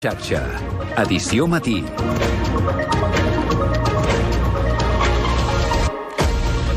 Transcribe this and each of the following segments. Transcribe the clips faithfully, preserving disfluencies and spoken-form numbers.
Xarxa, edició matí.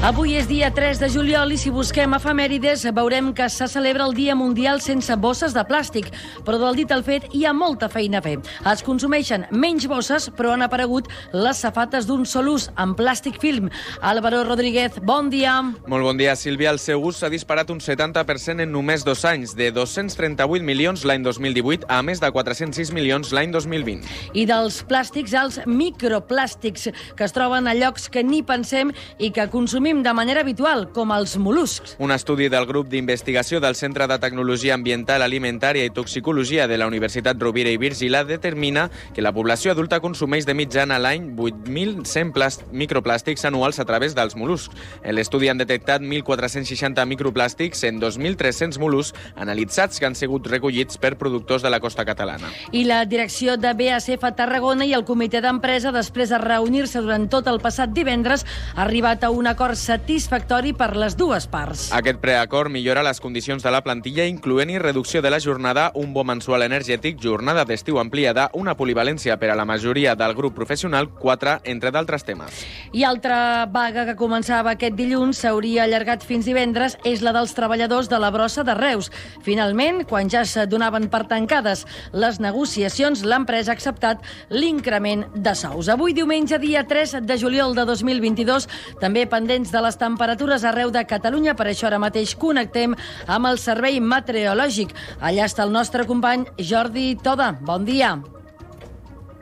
Avui és dia tres de juliol i si busquem efemèrides veurem que se celebra el Dia Mundial sense bosses de plàstic, però del dit al fet hi ha molta feina a fer. Es consumeixen menys bosses, però han aparegut les safates d'un sol ús en plàstic film. Álvaro Rodríguez, bon dia. Molt bon dia, Sílvia. El seu ús s'ha disparat un setanta per cent en només dos anys, de dos-cents trenta-vuit milions l'any dos mil divuit a més de quatre-cents sis milions l'any dos mil vint. I dels plàstics als microplàstics, que es troben a llocs que ni pensem i que consumim de manera habitual, com els mol·luscs. Un estudi del grup d'investigació del Centre de Tecnologia Ambiental, Alimentària i Toxicologia de la Universitat Rovira i Virgili determina que la població adulta consumeix de mitjana a l'any vuit mil cent microplàstics anuals a través dels mol·luscs. En l'estudi han detectat mil quatre-cents seixanta microplàstics en dos mil tres-cents mol·luscs analitzats que han sigut recollits per productors de la costa catalana. I la direcció de B A S F Tarragona i el comitè d'empresa, després de reunir-se durant tot el passat divendres, ha arribat a un acord satisfactori per les dues parts. Aquest preacord millora les condicions de la plantilla, incloent-hi reducció de la jornada, un bo mensual energètic, jornada d'estiu ampliada, una polivalència per a la majoria del grup professional, quatre, entre d'altres temes. I altra vaga que començava aquest dilluns s'hauria allargat fins divendres és la dels treballadors de la brossa de Reus. Finalment, quan ja es donaven per tancades les negociacions, l'empresa ha acceptat l'increment de sous. Avui, diumenge, dia tres de juliol de dos mil vint-i-dos, també pendents de les temperatures arreu de Catalunya. Per això ara mateix connectem amb el servei meteorològic. Allà està el nostre company Jordi Toda. Bon dia.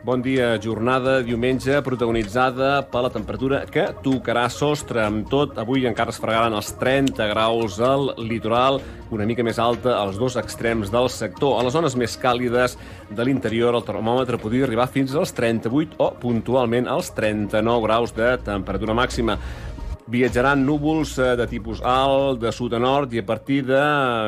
Bon dia. Jornada diumenge protagonitzada per la temperatura que tocarà sostre. Amb tot, avui encara es fregaran els trenta graus al litoral, una mica més alta als dos extrems del sector. A les zones més càlides de l'interior, el termòmetre podria arribar fins als trenta-vuit o, puntualment, als trenta-nou graus de temperatura màxima. Viatjaran núvols de tipus alt, de sud a nord, i a partir de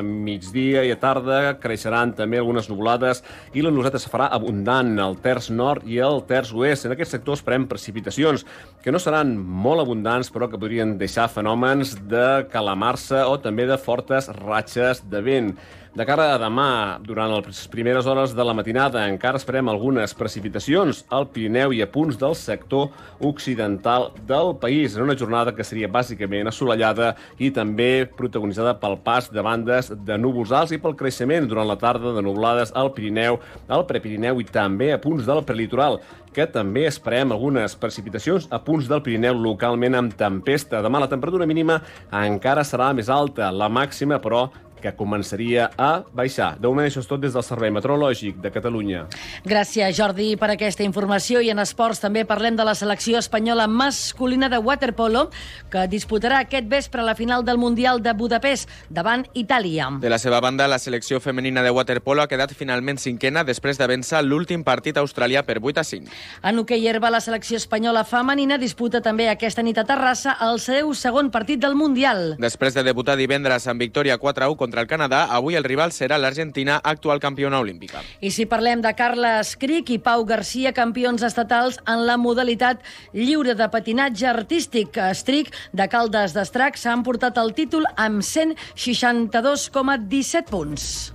migdia i a tarda creixeran també algunes nuvolades i la nuvolada es farà abundant al terç nord i al terç oest. En aquest sector esperem precipitacions, que no seran molt abundants, però que podrien deixar fenòmens de calamarsa o també de fortes ratxes de vent. De cara a demà, durant les primeres hores de la matinada, encara esperem algunes precipitacions al Pirineu i a punts del sector occidental del país, en una jornada que seria bàsicament assolellada i també protagonitzada pel pas de bandes de núvols alts i pel creixement durant la tarda de nuvolades al Pirineu, al Prepirineu i també a punts del prelitoral, que també esperem algunes precipitacions a punts del Pirineu localment amb tempesta. Demà la temperatura mínima encara serà més alta, la màxima, però, que començaria a baixar. De moment, això és tot des del Servei Meteorològic de Catalunya. Gràcies, Jordi, per aquesta informació. I en esports també parlem de la selecció espanyola masculina de waterpolo, que disputarà aquest vespre la final del Mundial de Budapest davant Itàlia. De la seva banda, la selecció femenina de waterpolo ha quedat finalment cinquena després de vèncer l'últim partit australià per vuit a cinc. En hoquei herba, la selecció espanyola femenina disputa també aquesta nit a Terrassa el seu segon partit del Mundial. Després de debutar divendres amb victòria quatre a u contra el Canadà, avui el rival serà l'Argentina, actual campiona olímpica. I si parlem de Carles Cric i Pau Garcia, campions estatals en la modalitat lliure de patinatge artístic, Stric de Caldes d'Estrac s'ha emportat el títol amb cent seixanta-dos coma disset punts.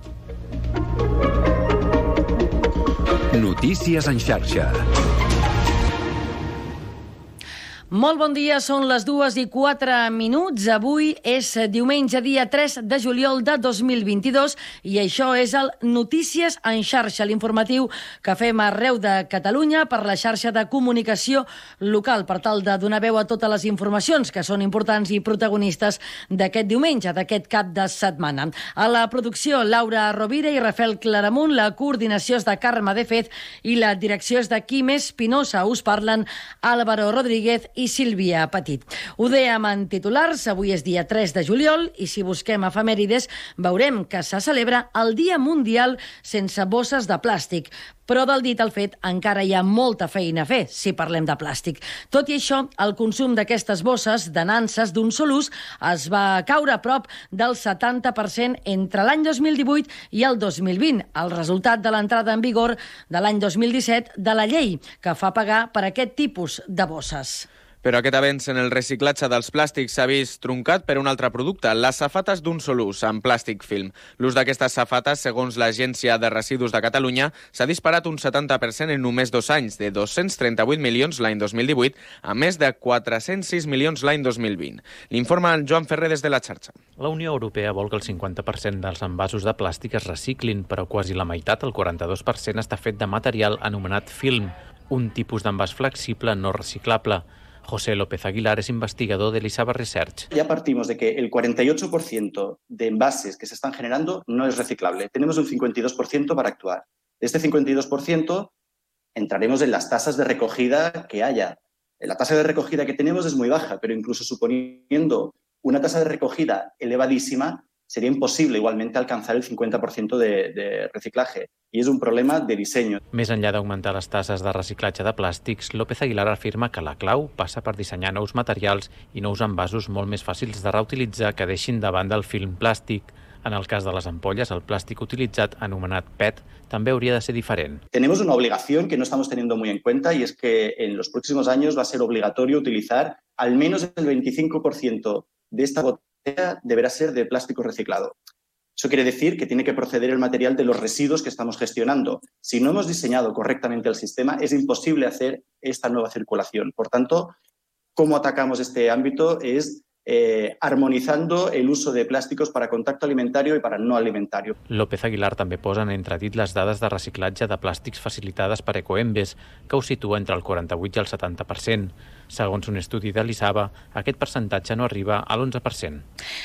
Notícies en xarxa. Molt bon dia, són les dues i quatre minuts. Avui és diumenge, dia tres de juliol de dos mil vint-i-dos i això és el Notícies en xarxa, l'informatiu que fem arreu de Catalunya per la xarxa de comunicació local, per tal de donar veu a totes les informacions que són importants i protagonistes d'aquest diumenge, d'aquest cap de setmana. A la producció, Laura Rovira i Rafael Claramunt, la coordinació és de Carme de Fez i la direcció és de Quim Espinosa. Us parlen Álvaro Rodríguez i Sílvia Petit. Ho dèiem en titulars, avui és dia tres de juliol i si busquem efemèrides veurem que se celebra el Dia Mundial sense bosses de plàstic. Però del dit al fet encara hi ha molta feina a fer si parlem de plàstic. Tot i això, el consum d'aquestes bosses de nanses d'un sol ús es va caure a prop del setanta per cent entre l'any dos mil divuit i el dos mil vint, el resultat de l'entrada en vigor de l'any dos mil disset de la llei que fa pagar per aquest tipus de bosses. Però aquest avenç en el reciclatge dels plàstics s'ha vist truncat per un altre producte, les safates d'un sol ús, amb plàstic film. L'ús d'aquestes safates, segons l'Agència de Residus de Catalunya, s'ha disparat un setanta per cent en només dos anys, de dos-cents trenta-vuit milions l'any dos mil divuit a més de quatre-cents sis milions l'any dos mil vint. L'informa en Joan Ferrer des de la xarxa. La Unió Europea vol que el cinquanta per cent dels envasos de plàstic es reciclin, però quasi la meitat, el quaranta-dos per cent, està fet de material anomenat film, un tipus d'envàs flexible no reciclable. José López Aguilar es investigador de Elisaba Research. Ya partimos de que el cuarenta y ocho por ciento de envases que se están generando no es reciclable. Tenemos un cincuenta y dos por ciento para actuar. De este cincuenta y dos por ciento entraremos en las tasas de recogida que haya. La tasa de recogida que tenemos es muy baja, pero incluso suponiendo una tasa de recogida elevadísima, sería imposible igualmente alcanzar el cincuenta por ciento de, de reciclaje. I és un problema de disseny. Més enllà d'augmentar les tasses de reciclatge de plàstics, López Aguilar afirma que la clau passa per dissenyar nous materials i nous envasos molt més fàcils de reutilitzar que deixin de banda el film plàstic. En el cas de les ampolles, el plàstic utilitzat, anomenat P E T, també hauria de ser diferent. Tenemos una obligación que no estamos teniendo muy en cuenta y es que en los próximos años va a ser obligatorio utilizar al menos el veinticinco por ciento de esta botella deberá ser de plástico reciclado. Eso quiere decir que tiene que proceder el material de los residuos que estamos gestionando. Si no hemos diseñado correctamente el sistema, es imposible hacer esta nueva circulación. Por tanto, ¿cómo atacamos este ámbito? Es eh, armonizando el uso de plásticos para contacto alimentario y para no alimentario. López Aguilar també posa en entredit les dades de reciclatge de plàstics facilitades per Ecoembes, que ho situa entre el quaranta-vuit i el setanta per cent. Segons un estudi de l'Isaba, aquest percentatge no arriba a l'onze per cent.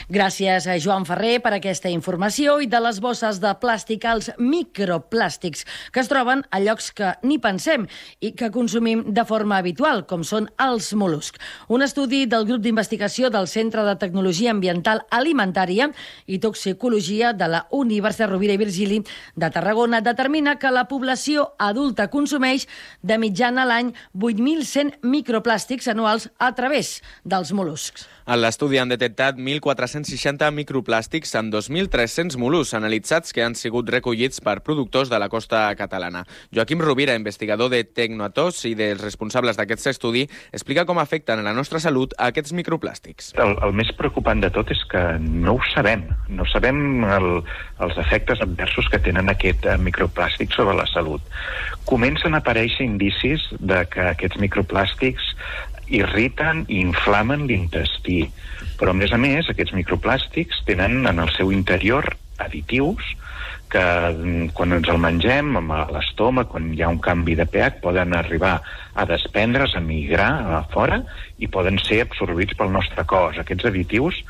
Gràcies a Joan Ferrer per aquesta informació. I de les bosses de plàstic als microplàstics, que es troben a llocs que ni pensem i que consumim de forma habitual, com són els mol·luscs. Un estudi del grup d'investigació del Centre de Tecnologia Ambiental Alimentària i Toxicologia de la Universitat Rovira i Virgili de Tarragona determina que la població adulta consumeix de mitjana a l'any vuit mil cent microplàstics anuals a través dels mol·luscs. En l'estudi han detectat mil quatre-cents seixanta microplàstics en dos mil tres-cents mol·luscs analitzats que han sigut recollits per productors de la costa catalana. Joaquim Rovira, investigador de Tecnoatos i dels responsables d'aquest estudi, explica com afecten a la nostra salut aquests microplàstics. El, el més preocupant de tot és que no ho sabem. No sabem el, els efectes adversos que tenen aquest microplàstic sobre la salut. Comencen a aparèixer indicis de que aquests microplàstics irriten i inflamen l'intestí. Però, a més a més, aquests microplàstics tenen en el seu interior additius que quan ens el mengem a l'estómac, quan hi ha un canvi de pH, poden arribar a desprendre's, a migrar a fora i poden ser absorbits pel nostre cos. Aquests additius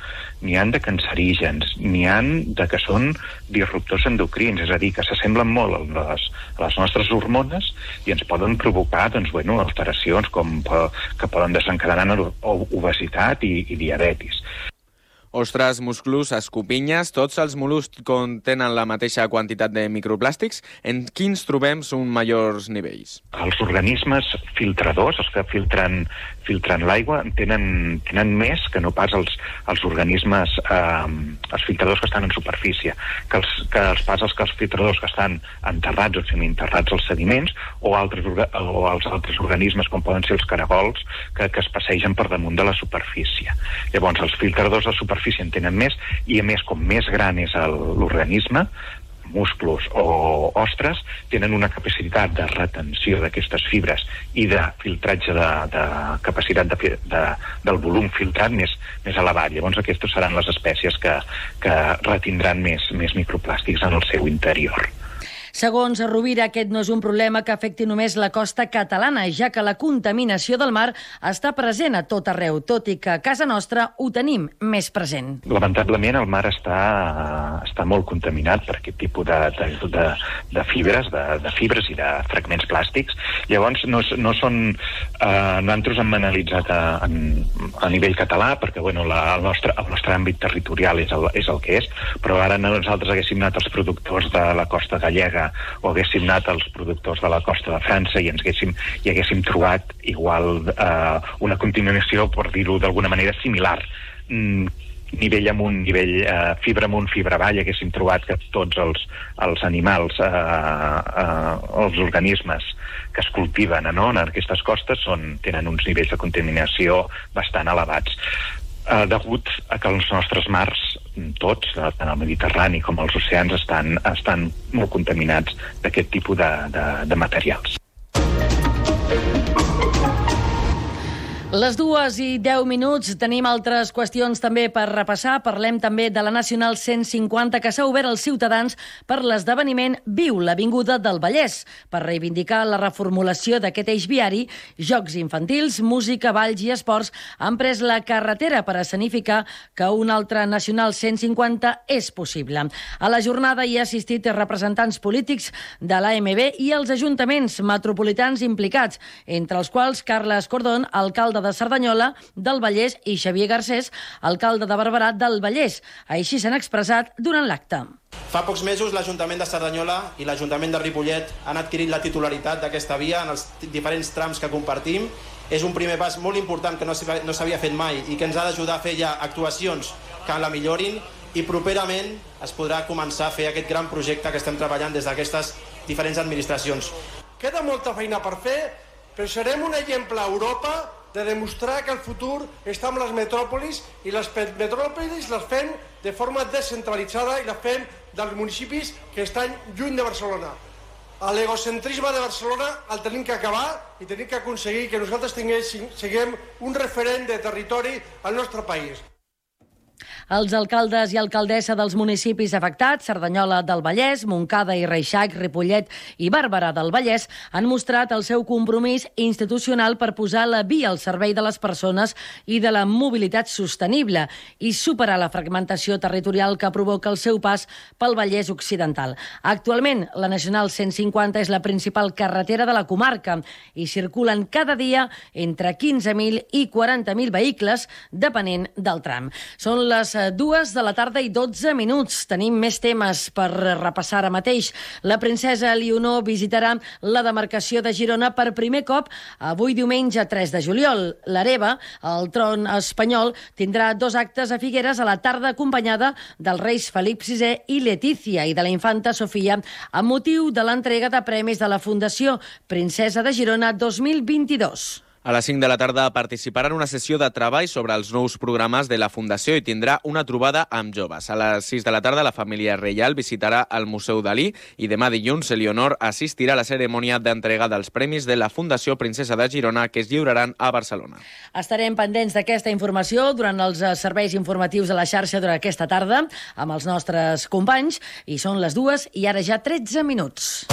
n'hi han de cancerígens, n'hi han de que són disruptors endocrins, és a dir, que s'assemblen molt a les, a les nostres hormones i ens poden provocar doncs, bueno, alteracions com que poden desencadenar obesitat i, i diabetis. Ostres, musclos, escopinyes, tots els mol·luscs contenen la mateixa quantitat de microplàstics. En quins trobem uns majors nivells? Els organismes filtradors, els que filtren, filtren l'aigua, tenen, tenen més que no pas els, els organismes, eh, els filtradors que estan en superfície, que els, que els pas els que els filtradors que estan enterrats o semi-enterrats als sediments o, altres, o els altres organismes, com poden ser els caragols, que, que es passegen per damunt de la superfície. Llavors, els filtradors de superfície en tenen més i, a més, com més gran és l'organisme, musclos o ostres, tenen una capacitat de retenció d'aquestes fibres i de filtratge de, de capacitat de, de, del volum filtrat més, més elevat. Llavors, aquestes seran les espècies que, que retindran més, més microplàstics en el seu interior. Segons Rovira, aquest no és un problema que afecti només la costa catalana, ja que la contaminació del mar està present a tot arreu, tot i que a casa nostra ho tenim més present. Lamentablement, el mar està, està molt contaminat per aquest tipus de, de, de, de fibres, de, de fibres i de fragments plàstics. Llavors, no, no són... Eh, nosaltres hem analitzat a, a nivell català, perquè bueno, la, el, nostre, el nostre àmbit territorial és el, és el que és, però ara nosaltres haguéssim anat als productors de la costa gallega o haguéssim anat als productors de la costa de França i ens haguéssim, i haguéssim trobat igual eh, una contaminació, per dir-ho d'alguna manera, similar. Mm, nivell amunt, nivell eh, fibra amunt, fibra avall, haguéssim trobat que tots els, els animals, eh, eh, els organismes que es cultiven no, en aquestes costes són, tenen uns nivells de contaminació bastant elevats. Eh, degut a que els nostres mars, tots, tant el Mediterrani com els oceans, estan, estan molt contaminats d'aquest tipus de, de, de materials. Les dues i deu minuts, tenim altres qüestions també per repassar. Parlem també de la Nacional cent cinquanta que s'ha obert als ciutadans per l'esdeveniment Viu l'Avinguda del Vallès. Per reivindicar la reformulació d'aquest eix viari, jocs infantils, música, balls i esports han pres la carretera per escenificar que un altre Nacional cent cinquanta és possible. A la jornada hi ha assistit representants polítics de l'A M B i els ajuntaments metropolitans implicats, entre els quals Carles Cordón, alcalde de Cerdanyola, del Vallès, i Xavier Garcés, alcalde de Barberà del Vallès. Així s'han expressat durant l'acte. Fa pocs mesos l'Ajuntament de Cerdanyola i l'Ajuntament de Ripollet han adquirit la titularitat d'aquesta via en els diferents trams que compartim. És un primer pas molt important que no s'havia fet mai i que ens ha d'ajudar a fer ja actuacions que la millorin, i properament es podrà començar a fer aquest gran projecte que estem treballant des d'aquestes diferents administracions. Queda molta feina per fer, però serem un exemple a Europa de demostrar que el futur està amb les metròpolis, i les metròpolis les fem de forma descentralitzada i les fem dels municipis que estan lluny de Barcelona. L'egocentrisme de Barcelona el tenim que acabar i tenim que aconseguir que nosaltres siguem un referent de territori al nostre país. Els alcaldes i alcaldessa dels municipis afectats, Cerdanyola del Vallès, Montcada i Reixac, Ripollet i Barberà del Vallès, han mostrat el seu compromís institucional per posar la via al servei de les persones i de la mobilitat sostenible i superar la fragmentació territorial que provoca el seu pas pel Vallès Occidental. Actualment, la Nacional cent cinquanta és la principal carretera de la comarca i circulen cada dia entre quinze mil i quaranta mil vehicles, depenent del tram. Són les dues de la tarda i dotze minuts. Tenim més temes per repassar ara mateix. La princesa Elionor visitarà la demarcació de Girona per primer cop avui diumenge tres de juliol. L'hereva, el tron espanyol, tindrà dos actes a Figueres a la tarda acompanyada dels reis Felip sisè i Letícia i de la infanta Sofia amb motiu de l'entrega de premis de la Fundació Princesa de Girona dos mil vint-i-dos. A les cinc de la tarda participarà en una sessió de treball sobre els nous programes de la Fundació i tindrà una trobada amb joves. A les sis de la tarda la família reial visitarà el Museu Dalí i demà dilluns Elionor assistirà a la cerimònia d'entrega dels premis de la Fundació Princesa de Girona que es lliuraran a Barcelona. Estarem pendents d'aquesta informació durant els serveis informatius de la xarxa durant aquesta tarda amb els nostres companys, i són les dues i ara ja tretze minuts.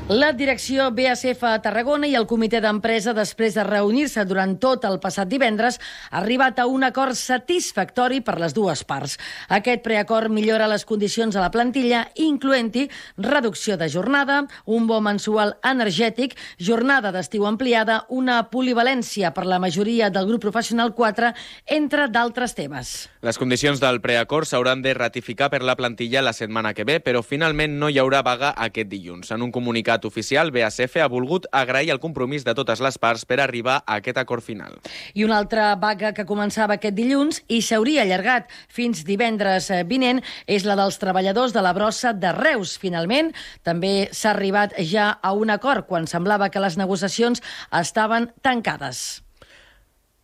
La direcció B A S F a Tarragona i el comitè d'empresa, després de reunir-se durant tot el passat divendres, ha arribat a un acord satisfactori per les dues parts. Aquest preacord millora les condicions de la plantilla, incloent-hi reducció de jornada, un bo mensual energètic, jornada d'estiu ampliada, una polivalència per la majoria del grup professional quatre, entre d'altres temes. Les condicions del preacord s'hauran de ratificar per la plantilla la setmana que ve, però finalment no hi haurà vaga aquest dilluns. En un comunicat oficial, B A S F ha volgut agrair el compromís de totes les parts per arribar a aquest acord final. I una altra vaga que començava aquest dilluns i s'hauria allargat fins divendres vinent és la dels treballadors de la brossa de Reus. Finalment, també s'ha arribat ja a un acord quan semblava que les negociacions estaven tancades.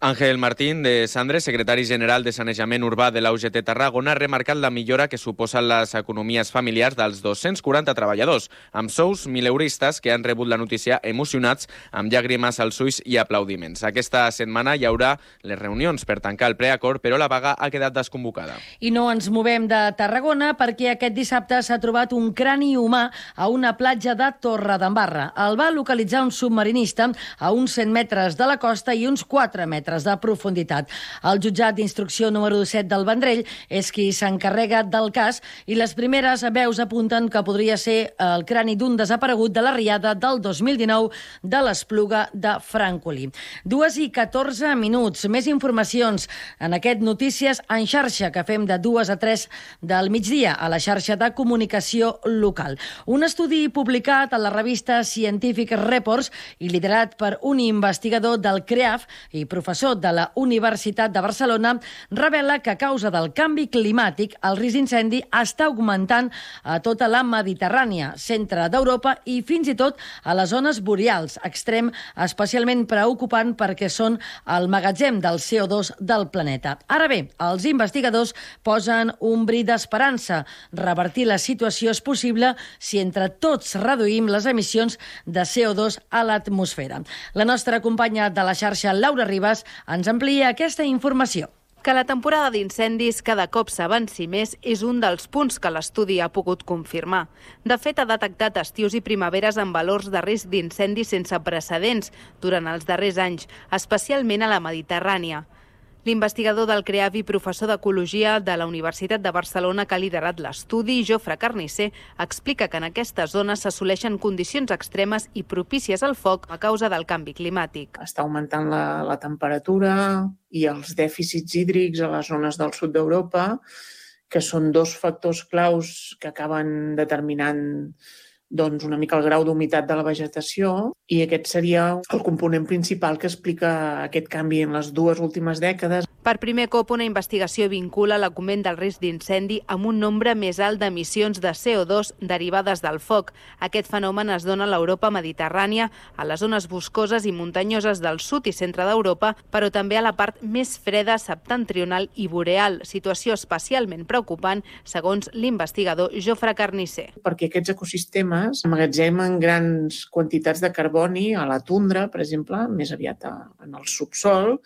Ángel Martín de Sandres, secretari general de Sanejament Urbà de la U G T Tarragona, ha remarcat la millora que suposen les economies familiars dels dos-cents quaranta treballadors, amb sous mileuristes que han rebut la notícia emocionats, amb llàgrimes als ulls i aplaudiments. Aquesta setmana hi haurà les reunions per tancar el preacord, però la vaga ha quedat desconvocada. I no ens movem de Tarragona perquè aquest dissabte s'ha trobat un crani humà a una platja de Torredembarra. El va localitzar un submarinista a uns cent metres de la costa i uns quatre metres de profunditat. El jutjat d'instrucció número set del Vendrell és qui s'encarrega del cas i les primeres veus apunten que podria ser el crani d'un desaparegut de la riada del dos mil dinou de l'Espluga de Francolí. Dues i catorze minuts. Més informacions en aquest Notícies en xarxa que fem de dues a tres del migdia a la xarxa de comunicació local. Un estudi publicat a la revista Scientific Reports i liderat per un investigador del C R E A F i professor professor de la Universitat de Barcelona, revela que a causa del canvi climàtic el risc d'incendi està augmentant a tota la Mediterrània, centre d'Europa i fins i tot a les zones boreals, extrem especialment preocupant perquè són el magatzem del C O dos del planeta. Ara bé, els investigadors posen un bri d'esperança. Revertir la situació és possible si entre tots reduïm les emissions de C O dos a l'atmosfera. La nostra companya de la xarxa, Laura Ribas, ens amplia aquesta informació. Que la temporada d'incendis cada cop s'avanci més és un dels punts que l'estudi ha pogut confirmar. De fet, ha detectat estius i primaveres amb valors de risc d'incendis sense precedents durant els darrers anys, especialment a la Mediterrània. L'investigador del CREAV i professor d'Ecologia de la Universitat de Barcelona que ha liderat l'estudi, Jofre Carnisser, explica que en aquestes zones s'assoleixen condicions extremes i propícies al foc a causa del canvi climàtic. Està augmentant la, la temperatura i els dèficits hídrics a les zones del sud d'Europa, que són dos factors claus que acaben determinant doncs, una mica el grau d'humitat de la vegetació, i aquest seria el component principal que explica aquest canvi en les dues últimes dècades. Per primer cop, una investigació vincula l'augment del risc d'incendi amb un nombre més alt d'emissions de C O dos derivades del foc. Aquest fenomen es dona a l'Europa mediterrània, a les zones boscoses i muntanyoses del sud i centre d'Europa, però també a la part més freda septentrional i boreal, situació especialment preocupant, segons l'investigador Jofre Carnisser. Perquè aquests ecosistemes emmagatzemen grans quantitats de carboni a la tundra, per exemple, més aviat en el subsol,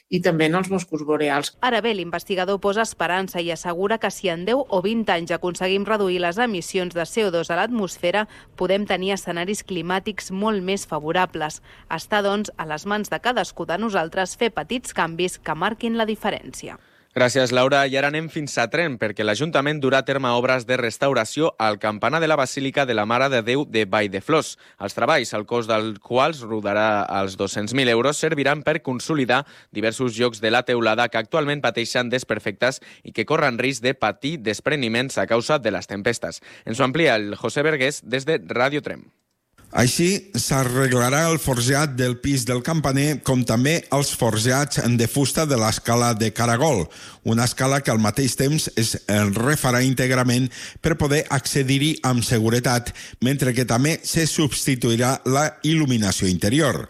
i també en els boscos boreals. Ara bé, l'investigador posa esperança i assegura que si en deu o vint anys aconseguim reduir les emissions de C O dos a l'atmosfera, podem tenir escenaris climàtics molt més favorables. Està, doncs, a les mans de cadascú de nosaltres fer petits canvis que marquin la diferència. Gràcies, Laura. I ara anem fins a Tremp, perquè l'Ajuntament durà a terme obres de restauració al campanar de la Basílica de la Mare de Déu de Valldeflors. Els treballs, el cost dels quals rodarà als dos-cents mil euros, serviran per consolidar diversos llocs de la teulada que actualment pateixen desperfectes i que corren risc de patir despreniments a causa de les tempestes. Ens ho amplia el José Vergués des de Ràdio Tremp. Així, s'arreglarà el forjat del pis del campaner, com també els forjats de fusta de l'escala de caragol, una escala que al mateix temps es refarà íntegrament per poder accedir-hi amb seguretat, mentre que també se substituirà la il·luminació interior.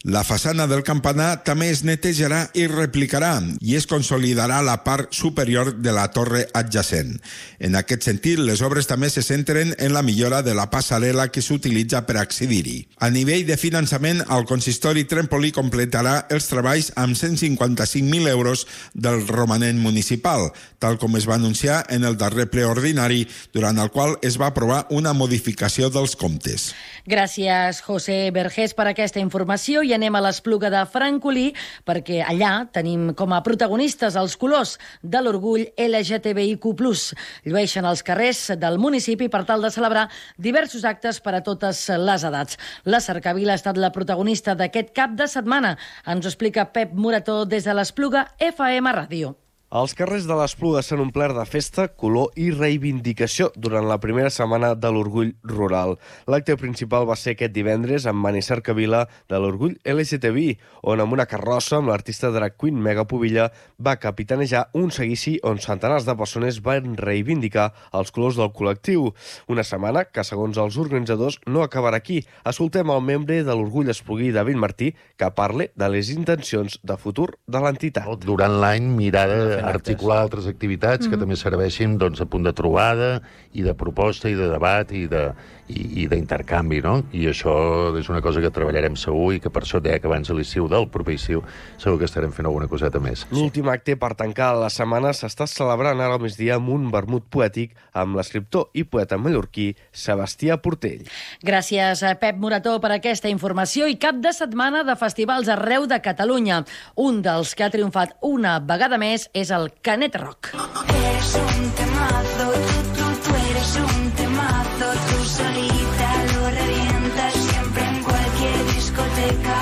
La façana del campanar també es netejarà i replicarà i es consolidarà la part superior de la torre adjacent. En aquest sentit, les obres també se centren en la millora de la passarel·la que s'utilitza per accedir-hi. A nivell de finançament, el consistori Trempolí completarà els treballs amb cent cinquanta-cinc mil euros del romanent municipal, tal com es va anunciar en el darrer ple ordinari, durant el qual es va aprovar una modificació dels comptes. Gràcies, José Vergés, per aquesta informació. I anem a l'Espluga de Francolí, perquè allà tenim com a protagonistes els colors de l'orgull L G T B I Q plus. Llueixen els carrers del municipi per tal de celebrar diversos actes per a totes les edats. La Cercavila ha estat la protagonista d'aquest cap de setmana. Ens ho explica Pep Morató des de l'Espluga F M Ràdio. Els carrers de l'Espluga s'han omplert de festa, color i reivindicació durant la primera setmana de l'Orgull Rural. L'acte principal va ser aquest divendres amb Mani Cercavila de l'Orgull L G T B I, on amb una carrossa amb l'artista drag queen Mega Pubilla va capitanejar un seguici on centenars de persones van reivindicar els colors del col·lectiu. Una setmana que, segons els organitzadors, no acabarà aquí. Escoltem el membre de l'Orgull Espluguí, David Martí, que parla de les intencions de futur de l'entitat. Durant l'any mirar de articular altres activitats mm. que també serveixin doncs, a punt de trobada i de proposta i de debat i de i, i d'intercanvi, no? I això és una cosa que treballarem segur i que per això deia que abans de l'estiu del proper estiu segur que estarem fent alguna coseta més. L'últim acte per tancar la setmana s'està celebrant ara al migdia amb un vermut poètic amb l'escriptor i poeta mallorquí Sebastià Portell. Gràcies a Pep Morató per aquesta informació i cap de setmana de festivals arreu de Catalunya. Un dels que ha triomfat una vegada més és el Canet Rock. Eres un temazo, tú, tú, tú eres un temazo, tú solita lo revientas siempre en cualquier discoteca.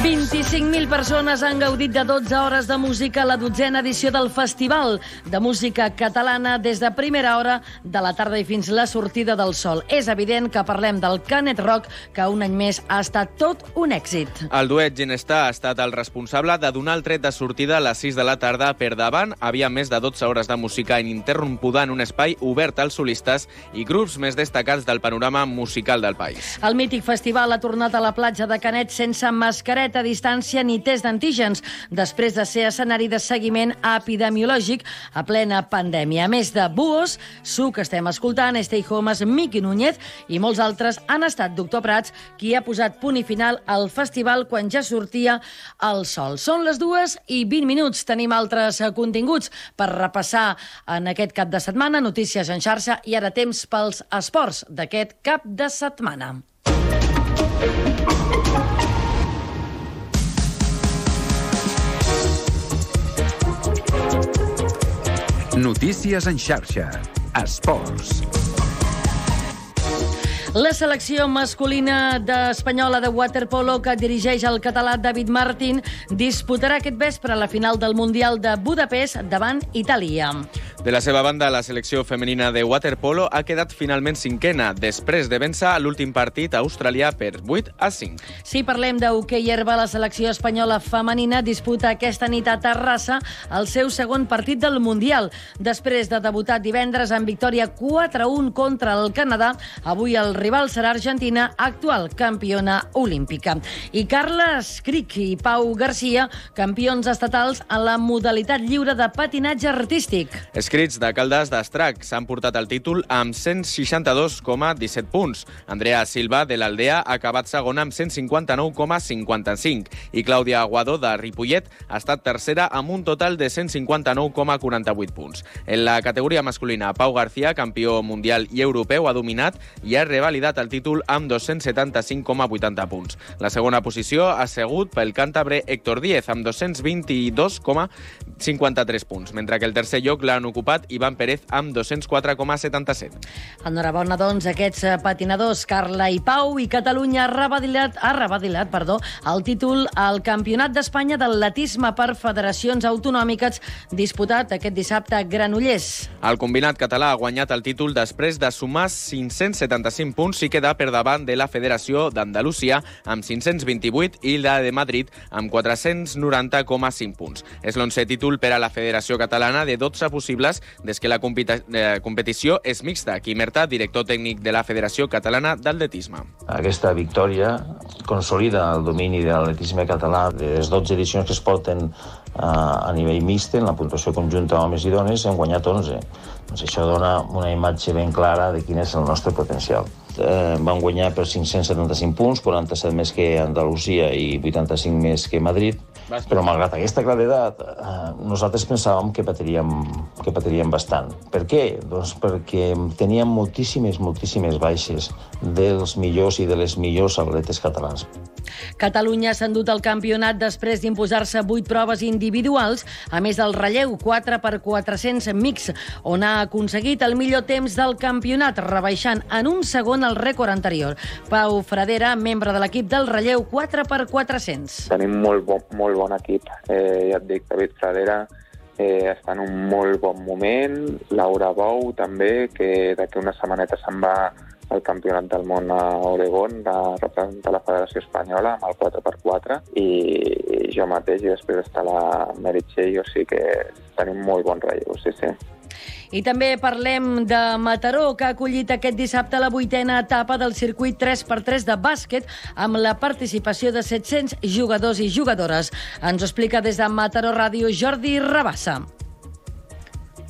vint-i-cinc cinc mil persones han gaudit de dotze hores de música a la dotzena edició del Festival de Música Catalana des de primera hora de la tarda i fins la sortida del sol. És evident que parlem del Canet Rock, que un any més ha estat tot un èxit. El duet Ginestar ha estat el responsable de donar el tret de sortida a les sis de la tarda. Per davant havia més de dotze hores de música ininterrompuda en un espai obert als solistes i grups més destacats del panorama musical del país. El mític festival ha tornat a la platja de Canet sense mascareta, distància ni test d'antígens, després de ser escenari de seguiment epidemiològic a plena pandèmia. A més de Buos, Su, que estem escoltant, Stay Homes, Miqui Núñez i molts altres han estat Doctor Prats qui ha posat punt i final al festival quan ja sortia el sol. Són les dues i vint minuts. Tenim altres continguts per repassar en aquest cap de setmana, notícies en xarxa i ara temps pels esports d'aquest cap de setmana. Notícies en xarxa. Esports. La selecció masculina espanyola de waterpolo que dirigeix el català David Martín disputarà aquest vespre la final del Mundial de Budapest davant Itàlia. De la seva banda, la selecció femenina de waterpolo ha quedat finalment cinquena, després de vèncer l'últim partit australià per vuit a cinc. Si parlem d'hoquei herba, la selecció espanyola femenina disputa aquesta nit a Terrassa el seu segon partit del Mundial. Després de debutar divendres en victòria quatre a un contra el Canadà, avui el rival serà Argentina, actual campiona olímpica. I Carles Cric i Pau Garcia, campions estatals en la modalitat lliure de patinatge artístic. Escrits de Caldes d'Estrac s'han portat el títol amb cent seixanta-dos coma disset punts. Andrea Silva, de l'Aldea, ha acabat segona amb cent cinquanta-nou coma cinquanta-cinc i Clàudia Aguadó, de Ripollet, ha estat tercera amb un total de cent cinquanta-nou coma quaranta-vuit punts. En la categoria masculina, Pau García, campió mundial i europeu, ha dominat i ha revalidat el títol amb dos-cents setanta-cinc coma vuitanta punts. La segona posició ha sigut pel càntabre Héctor Díez, amb dos-cents vint-i-dos coma cinquanta-tres punts, mentre que el tercer lloc l'han ocupat Ivan Pérez amb dos-cents quatre coma setanta-set. Enhorabona, doncs, aquests patinadors, Carla i Pau, i Catalunya ha revadilat, ha revadilat perdó, el títol al Campionat d'Espanya d'Atletisme per Federacions Autonòmiques disputat aquest dissabte a Granollers. El combinat català ha guanyat el títol després de sumar cinc-cents setanta-cinc punts i quedar per davant de la Federació d'Andalusia amb cinc-cents vint-i-vuit i la de Madrid amb quatre-cents noranta coma cinc punts. És l'onzè títol per a la Federació Catalana de dotze possibles des que la competició és mixta. Quim Merta, director tècnic de la Federació Catalana d'Atletisme. Aquesta victòria consolida el domini de l'atletisme català. De les dotze edicions que es porten a nivell mixt, en la puntuació conjunta homes i dones, hem guanyat onze. Doncs això dona una imatge ben clara de quin és el nostre potencial. Eh, van guanyar per cinc-cents setanta-cinc punts, quaranta-set més que Andalusia i vuitanta-cinc més que Madrid, però malgrat aquesta claredat, eh, nosaltres pensàvem que patiríem, que patiríem bastant. Per què? Doncs perquè teníem moltíssimes, moltíssimes baixes dels millors i de les millors atletes catalans. Catalunya s'ha endut el campionat després d'imposar-se vuit proves individuals, a més del relleu quatre per quatre-cents mix, on ha aconseguit el millor temps del campionat, rebaixant en un segon el rècord anterior. Pau Fradera, membre de l'equip del relleu quatre per quatre-cents. Tenim molt bon, molt bon equip. Eh, ja et dic, David Fradera eh, està en un molt bon moment. Laura Bou, també, que d'aquí una setmaneta se'n va al Campionat del Món a Oregon, de representar la Federació Espanyola amb el quatre per quatre, i jo mateix, i després està la Meritxell, o sigui que tenim molt bon relleu, sí, sí. I també parlem de Mataró, que ha acollit aquest dissabte la vuitena etapa del circuit tres per tres de bàsquet amb la participació de set-cents jugadors i jugadores. Ens ho explica des de Mataró Ràdio Jordi Rabassa.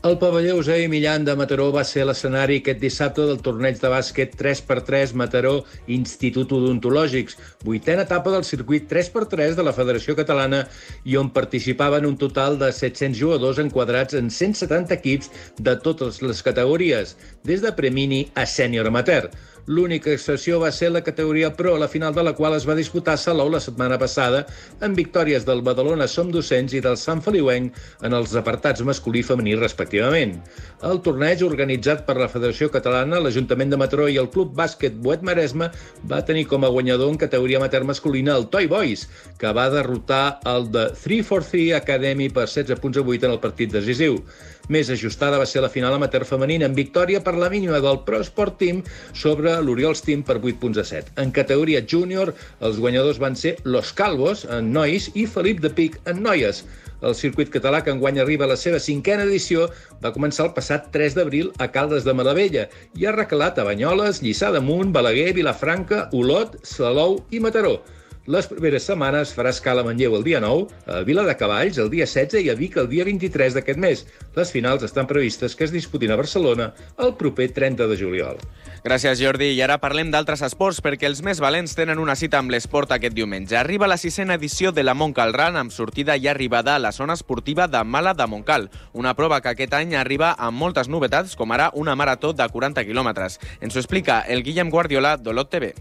El pavelló Eusebi Millan de Mataró va ser l'escenari aquest dissabte del torneig de bàsquet tres per tres Mataró Institut Odontològics, vuitena etapa del circuit tres per tres de la Federació Catalana i on participaven un total de set-cents jugadors enquadrats en cent setanta equips de totes les categories, des de premini a sènior amateur. L'única excepció va ser la categoria Pro, la final de la qual es va disputar a Salou la setmana passada, amb victòries del Badalona Som Docents i del Sant Feliuenc en els apartats masculí i femení respectivament. El torneig, organitzat per la Federació Catalana, l'Ajuntament de Mataró i el Club Bàsquet Boet Maresme, va tenir com a guanyador en categoria amateur masculina el Toy Boys, que va derrotar el de tres quatre tres Academy per setze punts a vuit en el partit decisiu. Més ajustada va ser la final amateur femenina, amb victòria per la mínima del Pro Sport Team sobre l'Oriols Team per vuit punts a set. En categoria júnior, els guanyadors van ser Los Calvos, en nois, i Felip de Pic, en noies. El circuit català, que enguany arriba a la seva cinquena edició, va començar el passat tres d'abril a Caldes de Malavella i ha recalat a Banyoles, Lliçà d'Amunt, Balaguer, Vilafranca, Olot, Salou i Mataró. Les primeres setmanes farà escala a Manlleu el dia nou, a Viladecavalls el dia setze i a Vic el dia vint-i-tres d'aquest mes. Les finals estan previstes que es disputin a Barcelona el proper trenta de juliol. Gràcies, Jordi. I ara parlem d'altres esports, perquè els més valents tenen una cita amb l'esport aquest diumenge. Arriba la sisena edició de la Montcal Run, amb sortida i arribada a la zona esportiva de Mala de Montcal. Una prova que aquest any arriba amb moltes novetats, com ara una marató de quaranta quilòmetres. Ens ho explica el Guillem Guardiola d'Olot T V.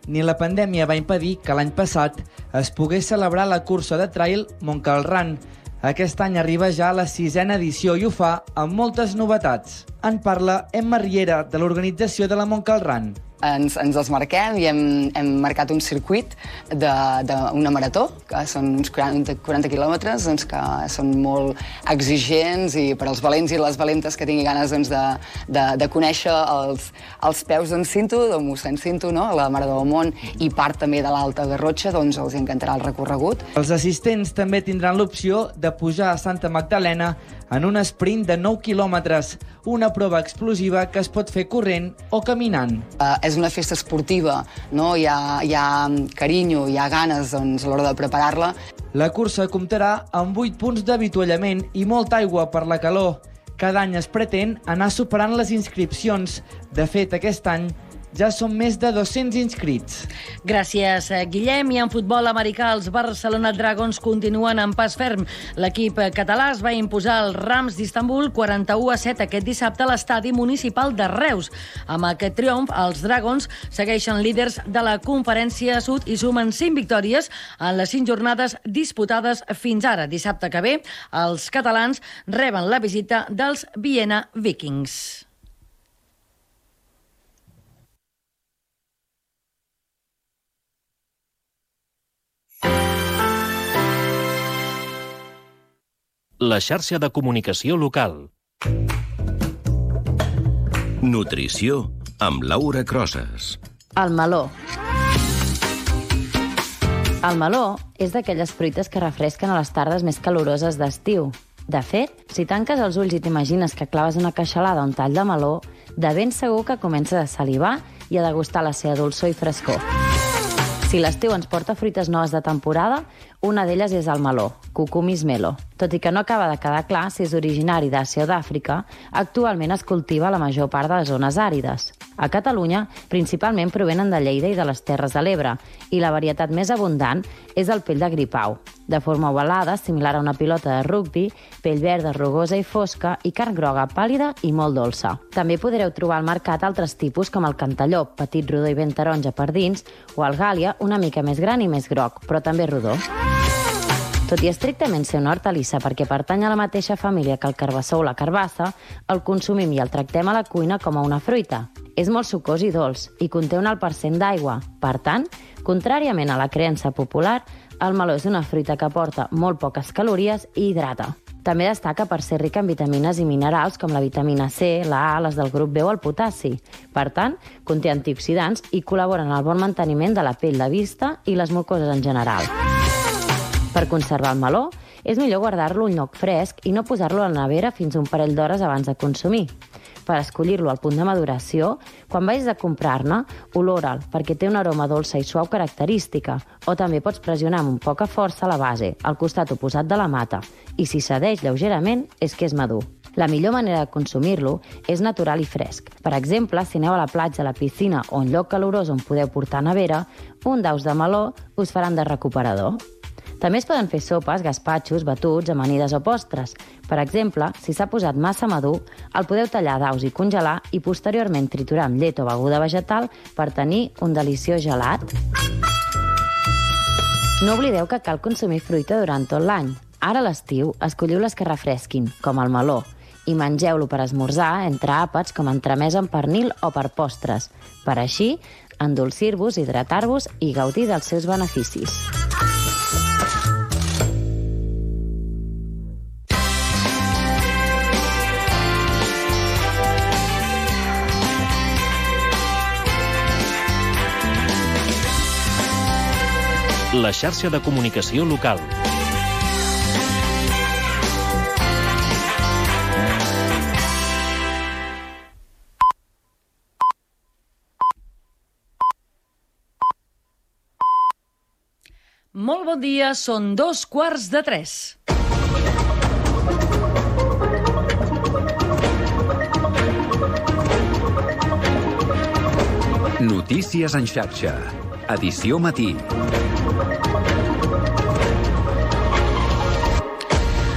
Ni la pandèmia va impedir que l'any passat es pogués celebrar la cursa de trail Montcal Run. Aquest any arriba ja a la sisena edició i ho fa amb moltes novetats. En parla Emma Riera, de l'organització de la Montcal Run. Ens, ens els marquem i hem, hem marcat un circuit d'una marató, que són uns quaranta, quaranta quilòmetres, doncs, que són molt exigents i per als valents i les valentes que tingui ganes doncs, de, de, de conèixer els, els peus d'en Cinto, de mossèn Cinto, no? La Mare del Món, i part també de l'Alta Garrotxa, doncs els encantarà el recorregut. Els assistents també tindran l'opció de pujar a Santa Magdalena en un sprint de nou quilòmetres, una prova explosiva que es pot fer corrent o caminant. Uh, és una festa esportiva, no? Hi ha, hi ha carinyo, hi ha ganes doncs, a l'hora de preparar-la. La cursa comptarà amb vuit punts d'avituallament i molta aigua per la calor. Cada any es pretén anar superant les inscripcions. De fet, aquest any ja són més de dos-cents inscrits. Gràcies, Guillem. I en futbol americà, els Barcelona Dragons continuen en pas ferm. L'equip català es va imposar als Rams d'Istanbul quaranta-u a set aquest dissabte a l'estadi municipal de Reus. Amb aquest triomf, els Dragons segueixen líders de la Conferència Sud i sumen cinc victòries en les cinc jornades disputades fins ara. Dissabte que ve, els catalans reben la visita dels Viena Vikings. La xarxa de comunicació local. Nutrició amb Laura Crosas. El meló. El meló és d'aquelles fruites que refresquen a les tardes més caloroses d'estiu. De fet, si tanques els ulls i t'imagines que claves una queixalada a un tall de meló, de ben segur que comences a salivar i a degustar la seva dolçor i frescor. Si l'estiu ens porta fruites noves de temporada, una d'elles és el meló, Cucumis melo. Tot i que no acaba de quedar clar si és originari d'Àsia o d'Àfrica, actualment es cultiva a la major part de les zones àrides. A Catalunya, principalment provenen de Lleida i de les Terres de l'Ebre, i la varietat més abundant és el pell de gripau, de forma ovalada, similar a una pilota de rugbi, pell verda, rugosa i fosca, i carn groga pàl·lida i molt dolça. També podreu trobar al mercat altres tipus com el cantalló, petit, rodó i ben taronja per dins, o el gàlia, una mica més gran i més groc, però també rodó. Tot i estrictament ser una hortalissa perquè pertany a la mateixa família que el carbassó o la carbassa, el consumim i el tractem a la cuina com a una fruita. És molt sucós i dolç i conté un alt percent d'aigua. Per tant, contràriament a la creença popular, el meló és una fruita que aporta molt poques calories i hidrata. També destaca per ser rica en vitamines i minerals com la vitamina C, la A, les del grup B o el potassi. Per tant, conté antioxidants i col·labora en el bon manteniment de la pell, la vista i les mucoses en general. Per conservar el meló, és millor guardar-lo a un lloc fresc i no posar-lo a la nevera fins un parell d'hores abans de consumir. Per escollir-lo al punt de maduració, quan vagis a comprar-ne, olora'l, perquè té una aroma dolça i suau característica, o també pots pressionar amb poca força la base, al costat oposat de la mata, i si cedeix lleugerament és que és madur. La millor manera de consumir-lo és natural i fresc. Per exemple, si aneu a la platja, a la piscina o un lloc calorós on podeu portar nevera, un daus de meló us faran de recuperador. També es poden fer sopes, gaspatxos, batuts, amanides o postres. Per exemple, si s'ha posat massa madur, el podeu tallar daus i congelar i posteriorment triturar amb llet o beguda vegetal per tenir un deliciós gelat. No oblideu que cal consumir fruita durant tot l'any. Ara a l'estiu, escolliu les que refresquin, com el meló, i mengeu-lo per esmorzar entre àpats com entremès amb pernil o per postres, per així endolcir-vos, hidratar-vos i gaudir dels seus beneficis. La xarxa de comunicació local. Molt bon dia, són dos quarts de tres. Notícies en xarxa. Edició matí.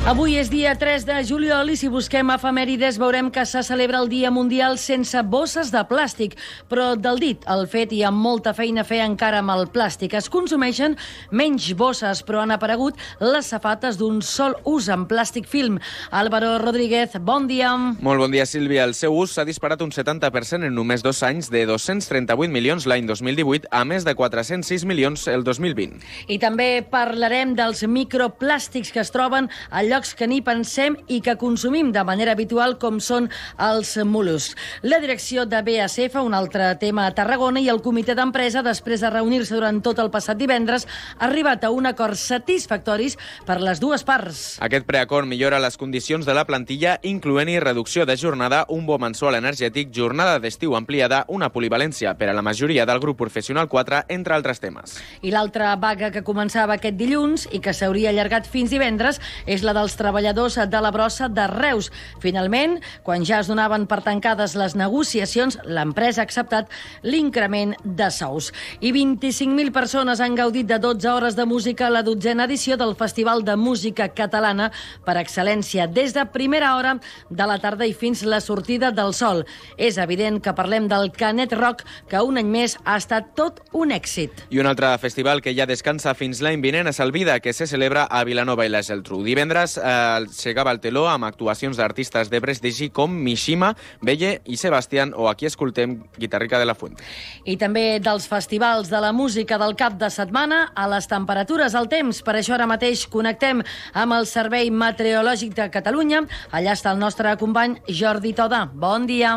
Avui és dia tres de juliol i si busquem efemèrides veurem que se celebra el Dia Mundial sense bosses de plàstic. Però del dit al fet hi ha molta feina a fer encara amb el plàstic. Es consumeixen menys bosses, però han aparegut les safates d'un sol ús en plàstic film. Álvaro Rodríguez, bon dia. Molt bon dia, Sílvia. El seu ús s'ha disparat un setanta per cent en només dos anys, de dos-cents trenta-vuit milions l'any dos mil divuit a més de quatre-cents sis milions el dos mil vint. I també parlarem dels microplàstics que es troben a llocs que ni pensem i que consumim de manera habitual, com són els mol·luscs. La direcció de B A S F, un altre tema a Tarragona, i el comitè d'empresa, després de reunir-se durant tot el passat divendres, ha arribat a un acord satisfactoris per les dues parts. Aquest preacord millora les condicions de la plantilla, incloent-hi reducció de jornada, un bo mensual energètic, jornada d'estiu ampliada, una polivalència per a la majoria del grup professional quatre, entre altres temes. I l'altra vaga que començava aquest dilluns i que s'hauria allargat fins divendres és la dels treballadors de la brossa de Reus. Finalment, quan ja es donaven per tancades les negociacions, l'empresa ha acceptat l'increment de sous. I vint-i-cinc mil persones han gaudit de dotze hores de música a la dotzena edició del Festival de Música Catalana per excel·lència, des de primera hora de la tarda i fins la sortida del sol. És evident que parlem del Canet Rock, que un any més ha estat tot un èxit. I un altre festival que ja descansa fins l'any vinent és el Vida, que se celebra a Vilanova i la Geltrú. Divendres eh, s'egava el teló amb actuacions d'artistes de prestigi com Mishima, Belle i Sebastián, o aquí escoltem Guitarrica de la Fuente. I també dels festivals de la música del cap de setmana a les temperatures, al temps. Per això ara mateix connectem amb el Servei Meteorològic de Catalunya. Allà està el nostre company Jordi Toda. Bon dia.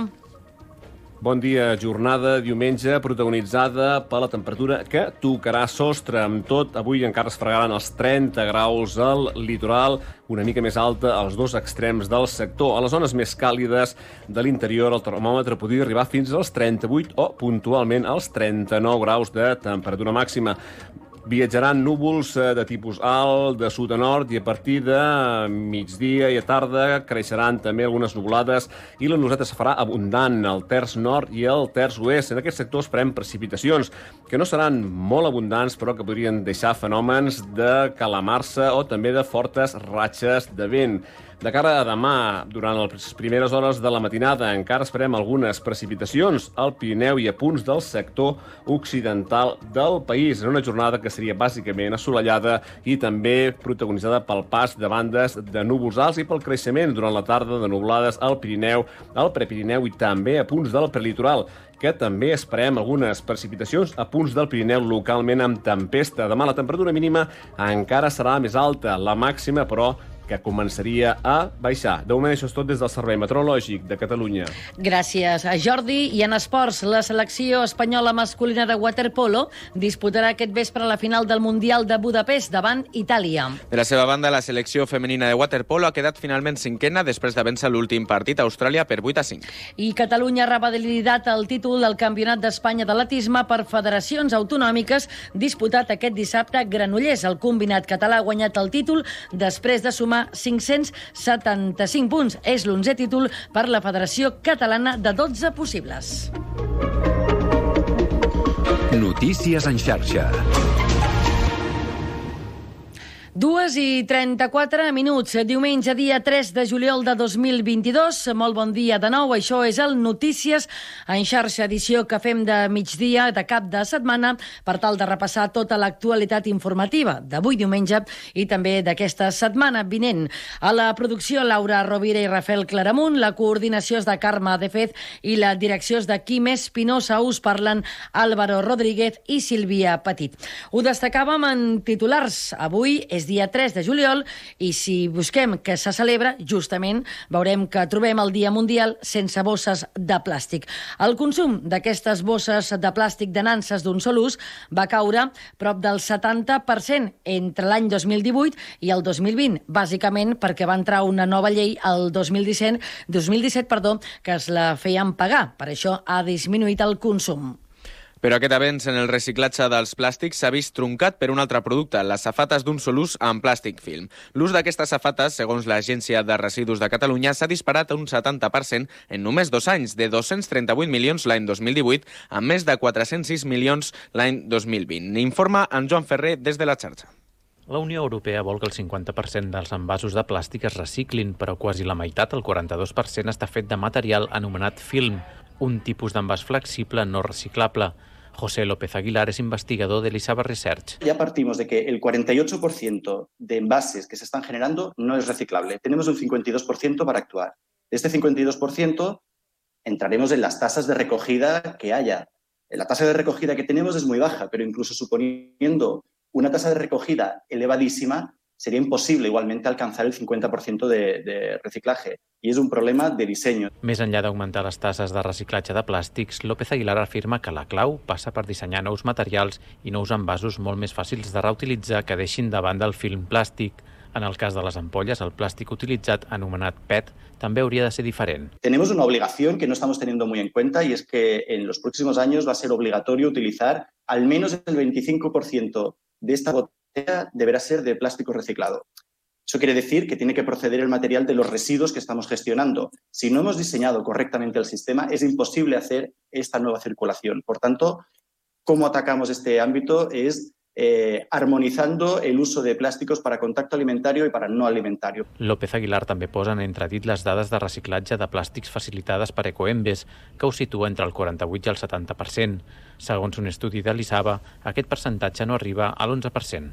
Bon dia, jornada diumenge protagonitzada per la temperatura que tocarà sostre. Amb tot, avui encara es fregaran els trenta graus al litoral, una mica més alta als dos extrems del sector. A les zones més càlides de l'interior, el termòmetre podria arribar fins als trenta-vuit o, puntualment, als trenta-nou graus de temperatura màxima. Viatjaran núvols de tipus alt, de sud a nord, i a partir de migdia i a tarda creixeran també algunes nuvolades i la nuvolada es farà abundant al terç nord i al terç oest. En aquest sector esperem precipitacions, que no seran molt abundants, però que podrien deixar fenòmens de calamarsa o també de fortes ratxes de vent. De cara a demà, durant les primeres hores de la matinada, encara esperem algunes precipitacions al Pirineu i a punts del sector occidental del país, en una jornada que seria bàsicament assolellada i també protagonitzada pel pas de bandes de núvols alts i pel creixement durant la tarda de nuvolades al Pirineu, al Prepirineu i també a punts del prelitoral, que també esperem algunes precipitacions a punts del Pirineu localment amb tempesta. Demà la temperatura mínima encara serà més alta, la màxima, però, que començaria a baixar. De moment, això és tot des del Servei Meteorològic de Catalunya. Gràcies a Jordi. I en esports, la selecció espanyola masculina de waterpolo disputarà aquest vespre la final del Mundial de Budapest davant Itàlia. De la seva banda, la selecció femenina de waterpolo ha quedat finalment cinquena després de vèncer l'últim partit a Austràlia per vuit a cinc. I Catalunya ha revalidat el títol del Campionat d'Espanya d'atletisme per federacions autonòmiques disputat aquest dissabte a Granollers. El combinat català ha guanyat el títol després de sumar cinc-cents setanta-cinc punts. És l'onzè títol per la Federació Catalana de dotze possibles. Notícies en xarxa. Dues i trenta-quatre minuts, diumenge, dia tres de juliol de dos mil vint-i-dos. Molt bon dia de nou, això és el Notícies en xarxa, edició que fem de migdia, de cap de setmana, per tal de repassar tota l'actualitat informativa d'avui diumenge i també d'aquesta setmana vinent. A la producció, Laura Rovira i Rafael Claramunt, la coordinació és de Carme Defez i la direcció és de Quim Espinosa. Us parlen Álvaro Rodríguez i Sílvia Petit. Ho destacàvem en titulars. Avui és dia tres de juliol i si busquem què se celebra, justament veurem que trobem el Dia Mundial sense bosses de plàstic. El consum d'aquestes bosses de plàstic de nanses d'un sol ús va caure prop del setanta per cent entre l'any dos mil divuit i el dos mil vint, bàsicament perquè va entrar una nova llei el dos mil disset, dos mil disset perdó, que es la feien pagar. Per això ha disminuït el consum. Però aquest avenç en el reciclatge dels plàstics s'ha vist truncat per un altre producte, les safates d'un sol ús amb plàstic film. L'ús d'aquestes safates, segons l'Agència de Residus de Catalunya, s'ha disparat a un setanta per cent en només dos anys, de dos-cents trenta-vuit milions l'any dos mil divuit a més de quatre-cents sis milions l'any dos mil vint. Informa en Joan Ferrer des de la xarxa. La Unió Europea vol que el cinquanta per cent dels envasos de plàstic es reciclin, però quasi la meitat, el quaranta-dos per cent, està fet de material anomenat film, un tipus d'envàs flexible no reciclable. José López Aguilar es investigador de Elisava Research. Ya partimos de que el cuarenta y ocho por ciento de envases que se están generando no es reciclable. Tenemos un cincuenta y dos por ciento para actuar. De este cincuenta y dos por ciento entraremos en las tasas de recogida que haya. La tasa de recogida que tenemos es muy baja, pero incluso suponiendo una tasa de recogida elevadísima, sería imposible igualmente alcanzar el cincuenta por ciento de, de reciclaje. I és un problema de disseny. Més enllà d'augmentar les tasses de reciclatge de plàstics, López Aguilar afirma que la clau passa per dissenyar nous materials i nous envasos molt més fàcils de reutilitzar que deixin de banda el film plàstic. En el cas de les ampolles, el plàstic utilitzat, anomenat P E T, també hauria de ser diferent. Tenemos una obligación que no estamos teniendo muy en cuenta y es que en los próximos años va a ser obligatorio utilizar al menos el veinticinco por ciento de esta botella deberá ser de plástico reciclado. Eso quiere decir que tiene que proceder el material de los residuos que estamos gestionando. Si no hemos diseñado correctamente el sistema, es imposible hacer esta nueva circulación. Por tanto, ¿cómo atacamos este ámbito? Es eh, armonizando el uso de plásticos para contacto alimentario y para no alimentario. López Aguilar també posa en entredit les dades de reciclatge de plàstics facilitades per Ecoembes, que ho situa entre el quaranta-vuit i el setanta per cent. Segons un estudi de l'Isava, aquest percentatge no arriba a l'onze per cent.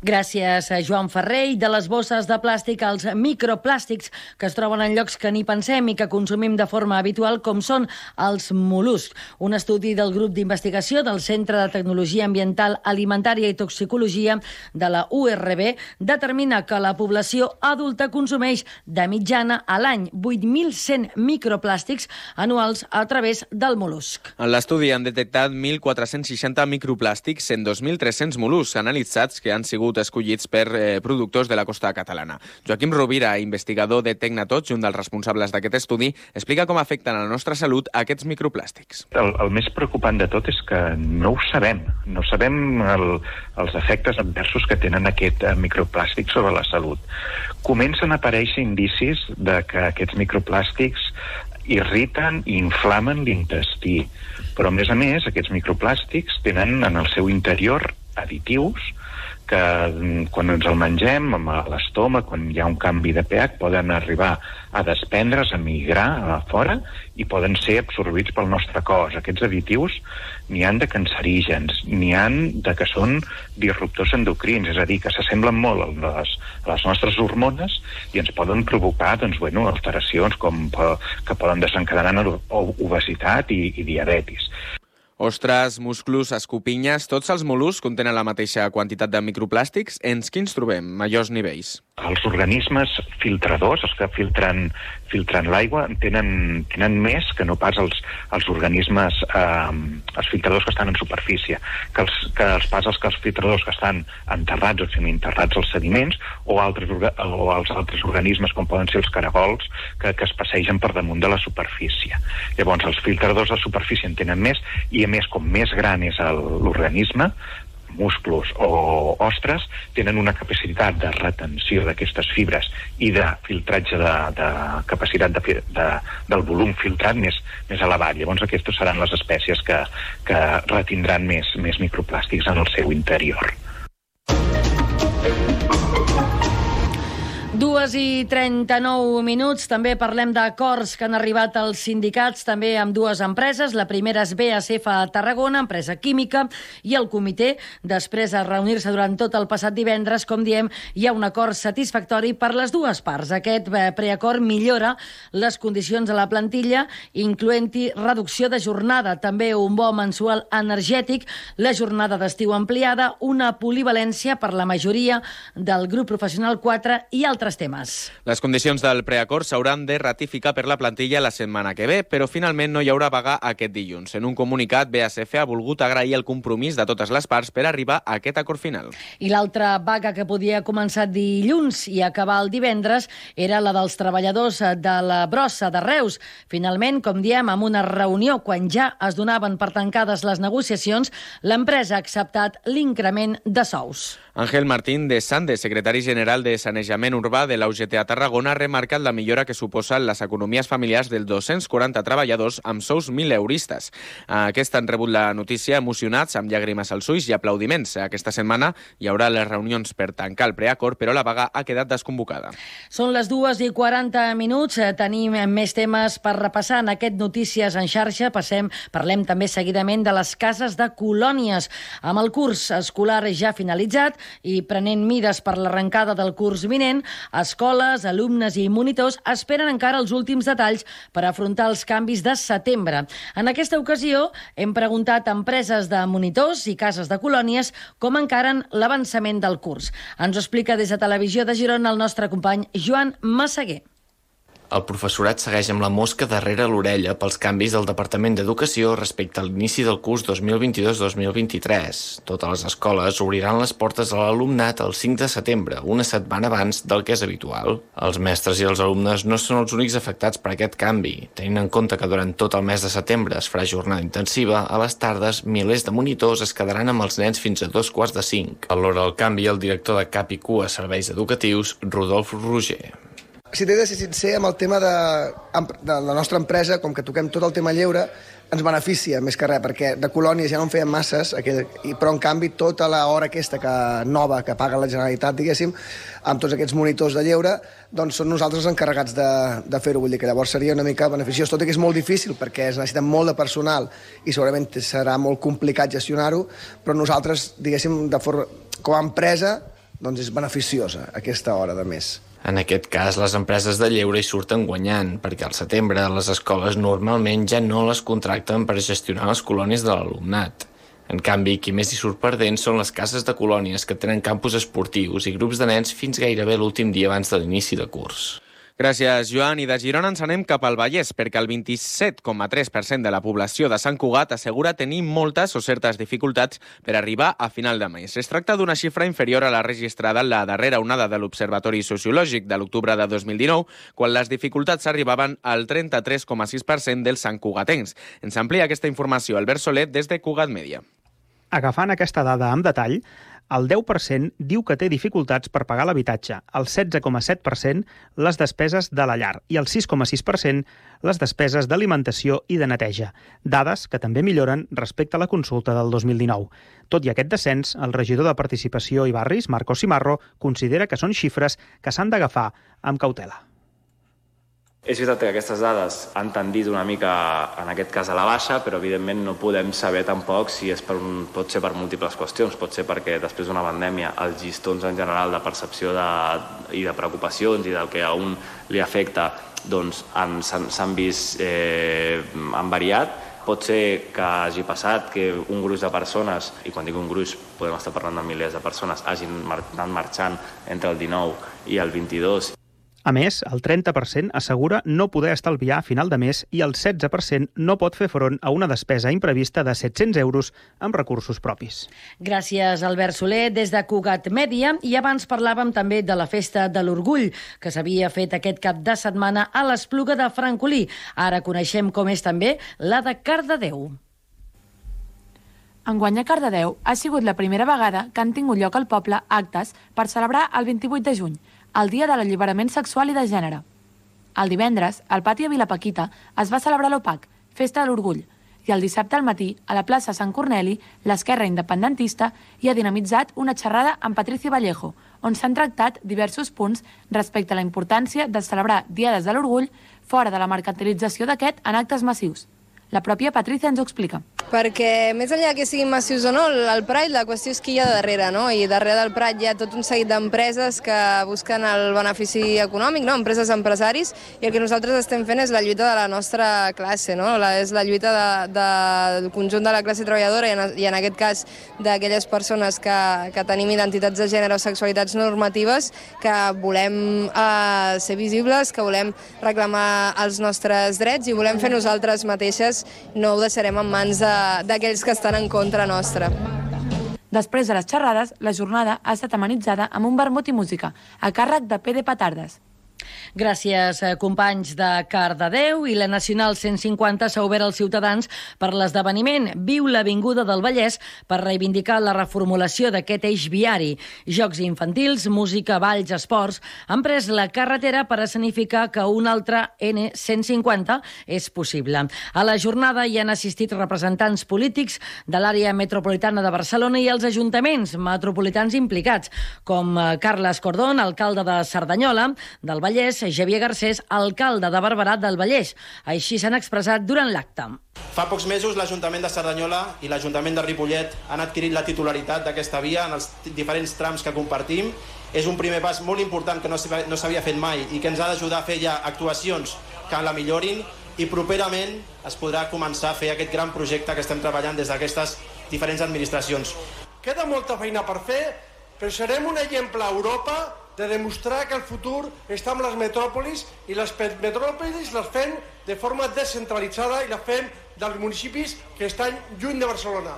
Gràcies a Joan Ferrer. I de les bosses de plàstic als microplàstics que es troben en llocs que ni pensem i que consumim de forma habitual, com són els mol·luscs. Un estudi del grup d'investigació del Centre de Tecnologia Ambiental, Alimentària i Toxicologia de la U R B determina que la població adulta consumeix de mitjana a l'any vuit mil cent microplàstics anuals a través del mol·lusc. En l'estudi han detectat mil quatre-cents seixanta microplàstics en dos mil tres-cents mol·luscs analitzats que han sigut escollits per eh, productors de la costa catalana. Joaquim Rovira, investigador de Tecnatots, un dels responsables d'aquest estudi, explica com afecten a la nostra salut aquests microplàstics. El, el més preocupant de tot és que no ho sabem. No sabem el, els efectes adversos que tenen aquest eh, microplàstic sobre la salut. Comencen a aparèixer indicis de que aquests microplàstics irriten i inflamen l'intestí. Però, a més a més, aquests microplàstics tenen en el seu interior additius que quan ens el mengem a l'estómac, quan hi ha un canvi de pH, poden arribar a desprendre's, a migrar a fora i poden ser absorbits pel nostre cos. Aquests additius n'hi han de cancerígens, n'hi han de que són disruptors endocrins, és a dir, que s'assemblen molt a les, a les nostres hormones i ens poden provocar doncs, bueno, alteracions com que poden desencadenar obesitat i, i diabetis. Ostres, musclos, escopinyes, tots els mol·luscs contenen la mateixa quantitat de microplàstics. En quins trobem majors nivells? Els organismes filtradors, els que filtren, filtren l'aigua, tenen, tenen més que no pas els, els organismes, eh, els filtradors que estan en superfície, que els, que els pas els, que els filtradors que estan enterrats o semi-enterrats als sediments o, altres, o els altres organismes com poden ser els caragols que, que es passegen per damunt de la superfície. Llavors, els filtradors de superfície en tenen més i, a més, com més gran és l'organisme, musclos o ostres, tenen una capacitat de retenció d'aquestes fibres i de filtratge de, de capacitat de, de, del volum filtrat més, més elevat. Llavors aquestes seran les espècies que, que retindran més, més microplàstics en el seu interior. Dues i trenta-nou minuts. També parlem d'acords que han arribat als sindicats, també amb dues empreses. La primera és B A S F a Tarragona, empresa química, i el comitè, després de reunir-se durant tot el passat divendres, com diem, hi ha un acord satisfactori per les dues parts. Aquest preacord millora les condicions de la plantilla, incloent-hi reducció de jornada, també un bo mensual energètic, la jornada d'estiu ampliada, una polivalència per la majoria del grup professional quatre i altres temes. Les condicions del preacord s'hauran de ratificar per la plantilla la setmana que ve, però finalment no hi haurà vaga aquest dilluns. En un comunicat, B A S F ha volgut agrair el compromís de totes les parts per arribar a aquest acord final. I l'altra vaga que podia començar dilluns i acabar el divendres era la dels treballadors de la brossa de Reus. Finalment, com diem, amb una reunió quan ja es donaven per tancades les negociacions, l'empresa ha acceptat l'increment de sous. Ángel Martín de Sande, secretari general de Sanejament Urbà de la U G T a Tarragona, ha remarcat la millora que suposen les economies familiars dels dos-cents quaranta treballadors amb sous mil euristes. Aquests han rebut la notícia emocionats, amb llàgrimes als ulls i aplaudiments. Aquesta setmana hi haurà les reunions per tancar el preacord, però la vaga ha quedat desconvocada. Són les dues i quaranta minuts. Tenim més temes per repassar en aquest Notícies en xarxa. Passem, parlem també seguidament de les cases de colònies. Amb el curs escolar ja finalitzat i prenent mides per l'arrencada del curs vinent, escoles, alumnes i monitors esperen encara els últims detalls per afrontar els canvis de setembre. En aquesta ocasió hem preguntat a empreses de monitors i cases de colònies com encaren l'avançament del curs. Ens ho explica des de Televisió de Girona el nostre company Joan Massaguer. El professorat segueix amb la mosca darrere l'orella pels canvis del Departament d'Educació respecte a l'inici del curs dos mil vint-i-dos dos mil vint-i-tres. Totes les escoles obriran les portes a l'alumnat el cinc de setembre, una setmana abans del que és habitual. Els mestres i els alumnes no són els únics afectats per aquest canvi, tenint en compte que durant tot el mes de setembre es farà jornada intensiva. A les tardes, milers de monitors es quedaran amb els nens fins a dos quarts de cinc. Valora el canvi el director de Cap i Cua Serveis Educatius, Rodolf Roger. Si t'he de ser sincer, amb el tema de, de la nostra empresa, com que toquem tot el tema lleure, ens beneficia més que res, perquè de colònies ja no en feien masses, però en canvi tota l'hora aquesta que, nova que paga la Generalitat, diguéssim, amb tots aquests monitors de lleure, doncs són nosaltres encarregats de, de fer-ho. Vull dir que llavors seria una mica beneficiós, tot i que és molt difícil perquè es necessita molt de personal i segurament serà molt complicat gestionar-ho, però nosaltres, diguéssim, de forma, com a empresa, doncs és beneficiosa aquesta hora de més. En aquest cas, les empreses de lleure hi surten guanyant, perquè al setembre les escoles normalment ja no les contracten per gestionar les colònies de l'alumnat. En canvi, qui més hi surt perdent són les cases de colònies que tenen campus esportius i grups de nens fins gairebé l'últim dia abans de l'inici de curs. Gràcies, Joan. I de Girona ens anem cap al Vallès, perquè el vint-i-set coma tres per cent de la població de Sant Cugat assegura tenir moltes o certes dificultats per arribar a final de mes. Es tracta d'una xifra inferior a la registrada en la darrera onada de l'Observatori Sociològic de l'octubre de dos mil dinou, quan les dificultats arribaven al trenta-tres coma sis per cent dels santcugatencs. Ens amplia aquesta informació Albert Soler des de Cugat Mèdia. Agafant aquesta dada amb detall, el deu per cent diu que té dificultats per pagar l'habitatge, el setze coma set per cent les despeses de la llar i el sis coma sis per cent les despeses d'alimentació i de neteja, dades que també milloren respecte a la consulta del dos mil dinou. Tot i aquest descens, el regidor de Participació i Barris, Marcos Cimarro, considera que són xifres que s'han d'agafar amb cautela. És veritat que aquestes dades han tendit una mica, en aquest cas, a la baixa, però evidentment no podem saber tampoc si és per un, pot ser per múltiples qüestions. Pot ser perquè després d'una pandèmia els llistons en general de percepció de, i de preocupacions i del que a un li afecta doncs, s'han vist, eh, han variat. Pot ser que hagi passat que un gruix de persones, i quan dic un gruix podem estar parlant de milers de persones, hagin anat marxant entre el dinou i el vint-i-dos. A més, el trenta per cent assegura no poder estalviar a final de mes i el setze per cent no pot fer front a una despesa imprevista de set-cents euros amb recursos propis. Gràcies, Albert Soler, des de Cugat Mèdia. I abans parlàvem també de la Festa de l'Orgull, que s'havia fet aquest cap de setmana a l'Espluga de Francolí. Ara coneixem com és també la de Cardedeu. Enguany a Cardedeu ha sigut la primera vegada que han tingut lloc al poble actes per celebrar el vint-i-vuit de juny, el dia de l'alliberament sexual i de gènere. El divendres, al pati de Vilapaquita, es va celebrar l'O P A C, Festa de l'Orgull, i el dissabte al matí, a la plaça Sant Corneli, l'esquerra independentista hi ha dinamitzat una xerrada amb Patricia Vallejo, on s'han tractat diversos punts respecte a la importància de celebrar Diades de l'Orgull fora de la mercantilització d'aquest en actes massius. La pròpia Patricia ens ho explica. Perquè més enllà que siguin massius o no, el Pride, la qüestió és qui hi ha darrere, no? I darrere del Pride hi ha tot un seguit d'empreses que busquen el benefici econòmic, no? Empreses, empresaris, i el que nosaltres estem fent és la lluita de la nostra classe, no? La, és la lluita de, de, del conjunt de la classe treballadora i en, i en aquest cas d'aquelles persones que, que tenim identitats de gènere o sexualitats normatives, que volem eh, ser visibles, que volem reclamar els nostres drets i volem fer nosaltres mateixes. No ho deixarem en mans d'aquells que estan en contra nostra. Després de les xerrades, la jornada ha estat amenitzada amb un vermut i música, a càrrec de P. de Petardes. Gràcies, companys de Cardedeu. I la Nacional cent cinquanta s'ha obert als ciutadans per l'esdeveniment Viu l'Avinguda del Vallès per reivindicar la reformulació d'aquest eix viari. Jocs infantils, música, balls, esports han pres la carretera per escenificar que un altre N cent cinquanta és possible. A la jornada hi han assistit representants polítics de l'àrea metropolitana de Barcelona i els ajuntaments metropolitans implicats, com Carles Cordón, alcalde de Cerdanyola, del Vallès, Xavier Garcés, alcalde de Barberà del Vallès. Així s'han expressat durant l'acte. Fa pocs mesos l'Ajuntament de Cerdanyola i l'Ajuntament de Ripollet han adquirit la titularitat d'aquesta via en els diferents trams que compartim. És un primer pas molt important que no s'havia fet mai i que ens ha d'ajudar a fer ja actuacions que la millorin, i properament es podrà començar a fer aquest gran projecte que estem treballant des d'aquestes diferents administracions. Queda molta feina per fer, però serem un exemple a Europa de demostrar que el futur està amb les metròpolis, i les metròpolis les fem de forma descentralitzada i les fem dels municipis que estan lluny de Barcelona.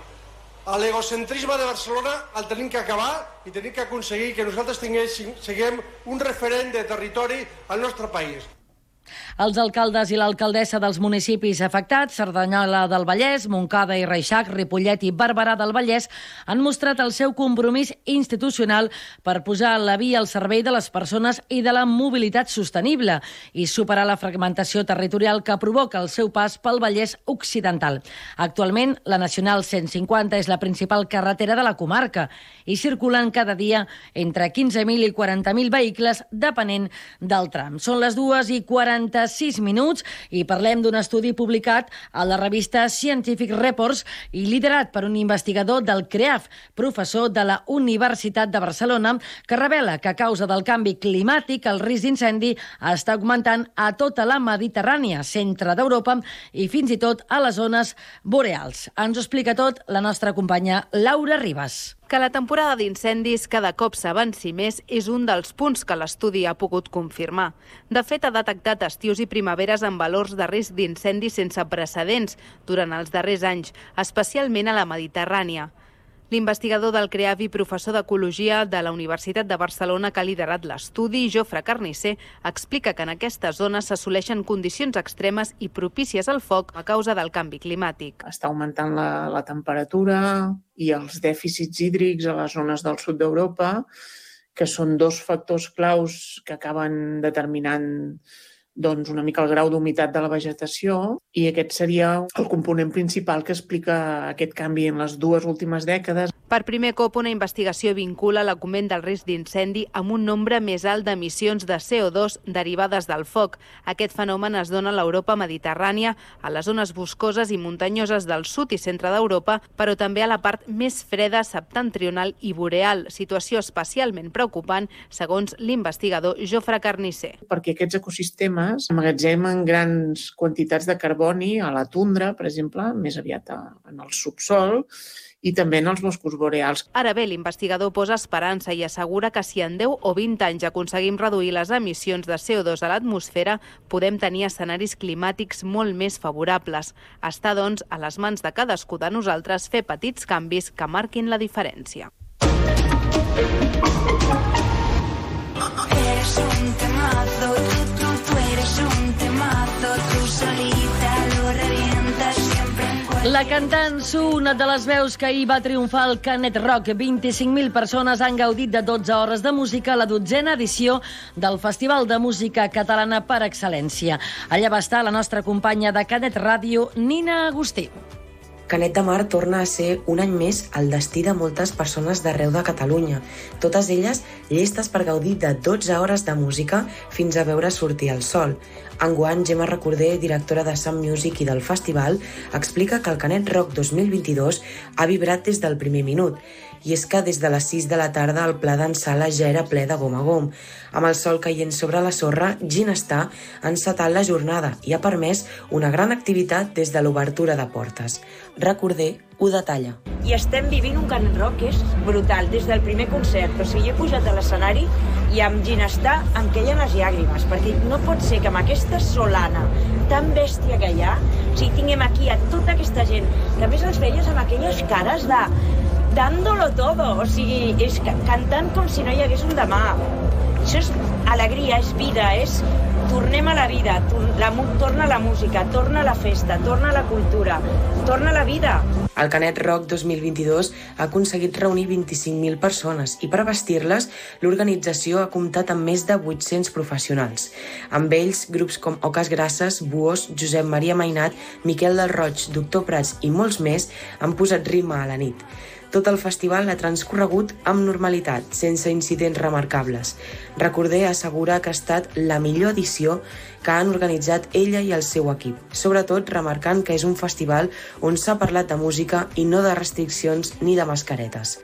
L'egocentrisme de Barcelona el tenim que acabar i tenim que aconseguir que nosaltres siguem un referent de territori al nostre país. Els alcaldes i l'alcaldessa dels municipis afectats, Cerdanyola del Vallès, Montcada i Reixac, Ripollet i Barberà del Vallès, han mostrat el seu compromís institucional per posar la via al servei de les persones i de la mobilitat sostenible i superar la fragmentació territorial que provoca el seu pas pel Vallès Occidental. Actualment, la Nacional cent cinquanta és la principal carretera de la comarca i circulen cada dia entre quinze mil i quaranta mil vehicles, depenent del tram. Són les dues i quaranta-sis minuts i parlem d'un estudi publicat a la revista Scientific Reports i liderat per un investigador del C R E A F, professor de la Universitat de Barcelona, que revela que a causa del canvi climàtic el risc d'incendi està augmentant a tota la Mediterrània, centre d'Europa i fins i tot a les zones boreals. Ens ho explica tot la nostra companya Laura Ribas. Que la temporada d'incendis cada cop s'avanci més és un dels punts que l'estudi ha pogut confirmar. De fet, ha detectat estius i primaveres amb valors de risc d'incendis sense precedents durant els darrers anys, especialment a la Mediterrània. L'investigador del C R E A F i professor d'Ecologia de la Universitat de Barcelona que ha liderat l'estudi, Jofre Carnisser, explica que en aquestes zones s'assoleixen condicions extremes i propícies al foc a causa del canvi climàtic. Està augmentant la, la temperatura i els dèficits hídrics a les zones del sud d'Europa, que són dos factors claus que acaben determinant doncs, una mica el grau d'humitat de la vegetació, i aquest seria el component principal que explica aquest canvi en les dues últimes dècades. Per primer cop, una investigació vincula l'augment del risc d'incendi amb un nombre més alt d'emissions de C O dos derivades del foc. Aquest fenomen es dona a l'Europa mediterrània, a les zones boscoses i muntanyoses del sud i centre d'Europa, però també a la part més freda septentrional i boreal, situació especialment preocupant, segons l'investigador Jofre Carnisser. Perquè aquests ecosistemes emmagatzemen grans quantitats de carboni a la tundra, per exemple, més aviat en el subsol, i també en els boscos boreals. Ara bé, l'investigador posa esperança i assegura que si en deu o vint anys aconseguim reduir les emissions de C O dos a l'atmosfera, podem tenir escenaris climàtics molt més favorables. Està, doncs, a les mans de cadascú de nosaltres fer petits canvis que marquin la diferència. Eres un temazo, tú, tú, tú eres un temazo, tú solita lo revientas siempre. La cantant Su, una de les veus que ahir va triomfar al Canet Rock. vint-i-cinc mil persones han gaudit de dotze hores de música a la dotzena edició del Festival de Música Catalana per excel·lència. Allà va estar la nostra companya de Canet Ràdio, Nina Agustí. Canet de Mar torna a ser un any més el destí de moltes persones d'arreu de Catalunya, totes elles llestes per gaudir de dotze hores de música fins a veure sortir el sol. Enguany, Gemma Recorder, directora de Sun Music i del festival, explica que el Canet Rock dos mil vint-i-dos ha vibrat des del primer minut. I és que des de les sis de la tarda el pla d'en Sala ja era ple de gom a gom. Amb el sol caient sobre la sorra, Ginestar ha encetat la jornada i ha permès una gran activitat des de l'obertura de portes. Recorder ho detalla. I estem vivint un Canet Rock que és brutal, des del primer concert. O sigui, jo he pujat a l'escenari i amb Ginestar em queien les llàgrimes, perquè no pot ser que amb aquesta solana tan bèstia que hi ha, o sigui, tinguem aquí a tota aquesta gent, que a més els veies amb aquelles cares de dándolo todo, o sigui, és cantant com si no hi hagués un demà. Això és alegria, és vida, és tornem a la vida, la, torna la música, torna la festa, torna la cultura, torna la vida. El Canet Rock dos mil vint-i-dos ha aconseguit reunir vint-i-cinc mil persones i per vestir-les l'organització ha comptat amb més de vuit-cents professionals. Amb ells, grups com Oques Grasses, Buos, Josep Maria Mainat, Miquel del Roig, Doctor Prats i molts més han posat ritme a la nit. Tot el festival ha transcorregut amb normalitat, sense incidents remarcables. Recorder assegura que ha estat la millor edició que han organitzat ella i el seu equip, sobretot remarcant que és un festival on s'ha parlat de música i no de restriccions ni de mascaretes.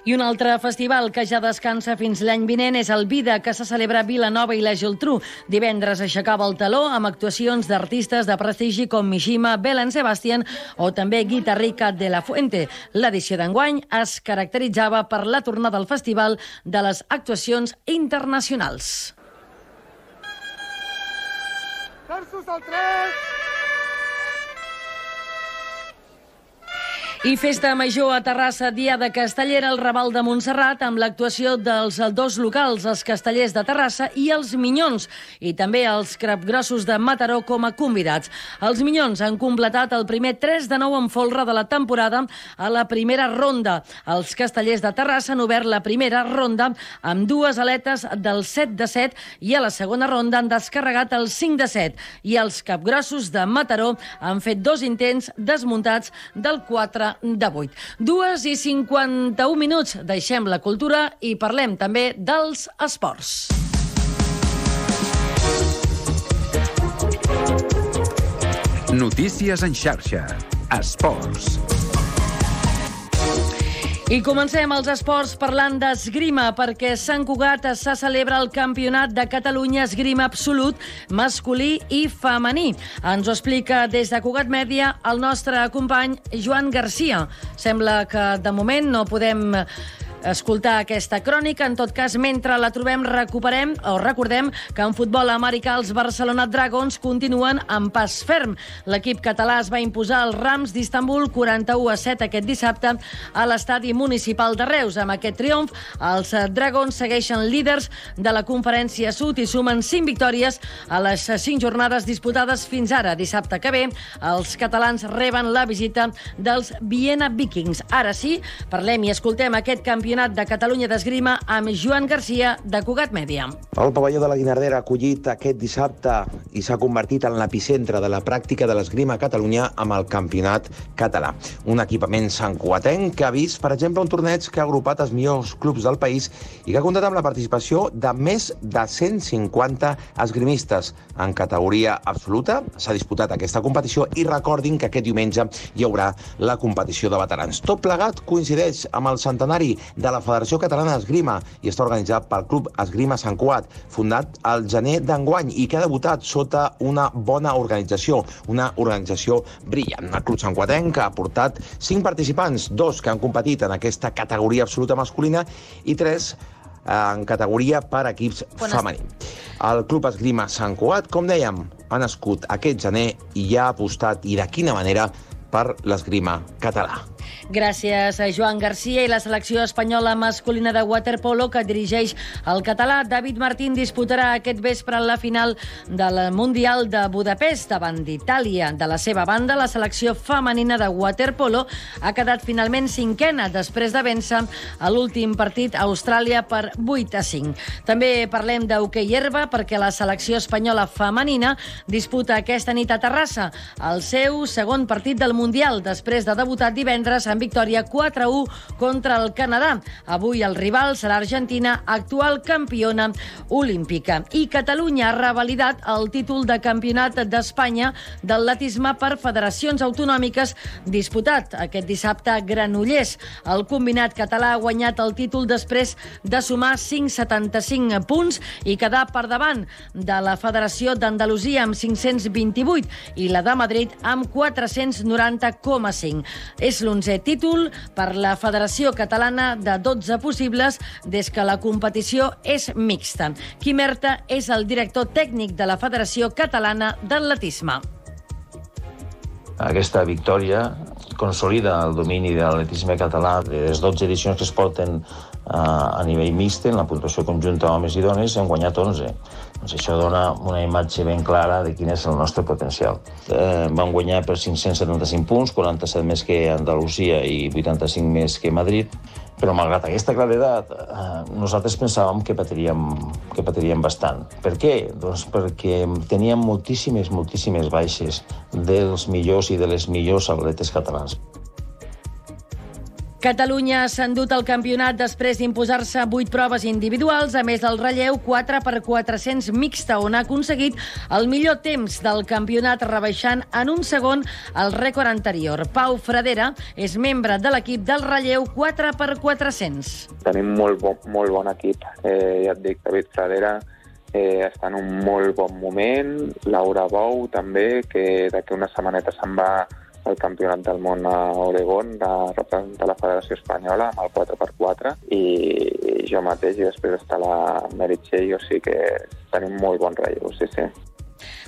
I un altre festival que ja descansa fins l'any vinent és el Vida, que se celebra a Vilanova i la Geltrú. Divendres aixecava el taló amb actuacions d'artistes de prestigi com Mishima, Belen Sebastian o també Guitarrica de la Fuente. L'edició d'enguany es caracteritzava per la tornada al festival de les actuacions internacionals. Terços al tres! I festa major a Terrassa, Diada Castellera, el Raval de Montserrat, amb l'actuació dels dos locals, els Castellers de Terrassa i els Minyons, i també els Capgrossos de Mataró com a convidats. Els Minyons han completat el primer tres de nou en folre de la temporada a la primera ronda. Els Castellers de Terrassa han obert la primera ronda amb dues aletes del set de set i a la segona ronda han descarregat el cinc de set. I els Capgrossos de Mataró han fet dos intents desmuntats del quatre de vuit. Dues i cinquanta-un minuts. Deixem la cultura i parlem també dels esports. Notícies en xarxa. Esports. I comencem els esports parlant d'esgrima, perquè a Sant Cugat se celebra el Campionat de Catalunya Esgrima Absolut masculí i femení. Ens ho explica des de Cugat Mèdia el nostre company Joan Garcia. Sembla que de moment no podem escoltar aquesta crònica. En tot cas, mentre la trobem, recuperem o recordem que en futbol americà els Barcelona Dragons continuen en pas ferm. L'equip català es va imposar als Rams d'Istanbul quaranta-u a set aquest dissabte a l'estadi municipal de Reus. Amb aquest triomf, els Dragons segueixen líders de la Conferència Sud i sumen cinc victòries a les cinc jornades disputades fins ara. Dissabte que ve, els catalans reben la visita dels Viena Vikings. Ara sí, parlem i escoltem aquest campionat de Catalunya d'Esgrima amb Joan Garcia, de Cugat Mèdia. El pavelló de la Guinardera ha acollit aquest dissabte i s'ha convertit en l'epicentre de la pràctica de l'esgrima a Catalunya amb el Campionat Català. Un equipament santcugatenc que ha vist, per exemple, un torneig que ha agrupat els millors clubs del país i que ha comptat amb la participació de més de cent cinquanta esgrimistes. En categoria absoluta s'ha disputat aquesta competició i recordin que aquest diumenge hi haurà la competició de veterans. Tot plegat coincideix amb el centenari de la Federació Catalana d'Esgrima i està organitzat pel Club Esgrima Sant Cugat, fundat al gener d'enguany i que ha debutat sota una bona organització, una organització brillant. El Club Santcugatenc ha portat cinc participants, dos que han competit en aquesta categoria absoluta masculina i tres en categoria per equips femení. El Club Esgrima Sant Cugat, com dèiem, ha nascut aquest gener i ja ha apostat, i de quina manera, per l'esgrima català. Gràcies a Joan Garcia i la selecció espanyola masculina de waterpolo que dirigeix el català David Martín disputarà aquest vespre la final del Mundial de Budapest davant d'Itàlia. De la seva banda, la selecció femenina de waterpolo ha quedat finalment cinquena després de vèncer a l'últim partit a Austràlia per vuit a cinc. També parlem d'hoquei herba perquè la selecció espanyola femenina disputa aquesta nit a Terrassa el seu segon partit del Mundial després de debutar divendres en victòria quatre a u contra el Canadà. Avui el rival serà Argentina, actual campiona olímpica. I Catalunya ha revalidat el títol de campionat d'Espanya d'atletisme per federacions autonòmiques disputat aquest dissabte a Granollers. El combinat català ha guanyat el títol després de sumar cinc coma setanta-cinc punts i quedar per davant de la Federació d'Andalusia amb cinc-cents vint-i-vuit i la de Madrid amb quatre-cents noranta coma cinc. És l'onzè títol per la Federació Catalana de dotze possibles des que la competició és mixta. Quim Erta és el director tècnic de la Federació Catalana d'Atletisme. Aquesta victòria consolida el domini de l'atletisme català. De les dotze edicions que es porten a nivell mixt, en la puntuació conjunta homes i dones, hem guanyat onze. Doncs això dona una imatge ben clara de quin és el nostre potencial. Eh, vam guanyar per cinc-cents setanta-cinc punts, quaranta-set més que Andalusia i vuitanta-cinc més que Madrid, però malgrat aquesta claredat, eh, nosaltres pensàvem que patiríem, que patiríem bastant. Per què? Doncs perquè teníem moltíssimes, moltíssimes baixes dels millors i de les millors atletes catalans. Catalunya s'ha endut el campionat després d'imposar-se vuit proves individuals, a més del relleu quatre per quatre-cents mixta, on ha aconseguit el millor temps del campionat, rebaixant en un segon el rècord anterior. Pau Fradera és membre de l'equip del relleu quatre per quatre-cents. Tenim molt bon, molt bon equip. Eh, ja et dic, David Fradera eh, està en un molt bon moment. Laura Bou també, que d'aquí una setmaneta se'n va el campionat del món a Oregon, de representar la Federació Espanyola amb el quatre per quatre, i jo mateix, i després està la Merit Shea, o sigui que tenim molt bon relleu, sí, sí.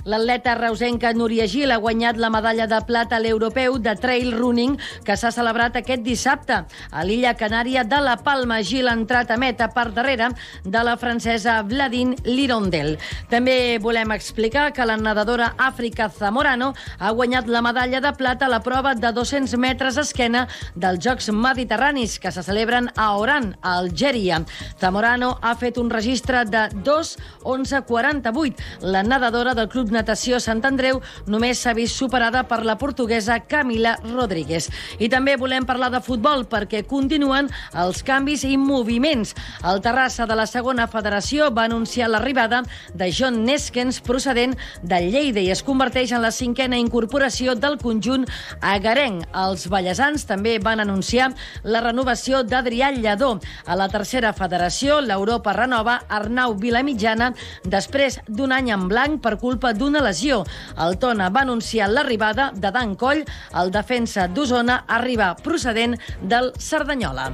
L'atleta reusenca Núria Gil ha guanyat la medalla de plata a l'europeu de trail running que s'ha celebrat aquest dissabte a l'illa canària de la Palma. Gil ha entrat a meta per darrere de la francesa Vladine Lirondel. També volem explicar que la nedadora Àfrica Zamorano ha guanyat la medalla de plata a la prova de dos-cents metres esquena dels Jocs Mediterranis que se celebren a Oran, a Algèria. Zamorano ha fet un registre de dos onze quaranta-vuit. La nedadora del Club Natació Sant Andreu només s'ha vist superada per la portuguesa Camila Rodríguez. I també volem parlar de futbol perquè continuen els canvis i moviments. El Terrassa de la segona federació va anunciar l'arribada de John Neskens procedent de Lleida i es converteix en la cinquena incorporació del conjunt agarenc. Els ballesans també van anunciar la renovació d'Adrià Lledó. A la tercera federació, l'Europa renova Arnau Vilamitjana després d'un any en blanc per culpa d'una lesió. El Tona va anunciar l'arribada de Dan Coll, el defensa d'Osona, arriba procedent del Cerdanyola.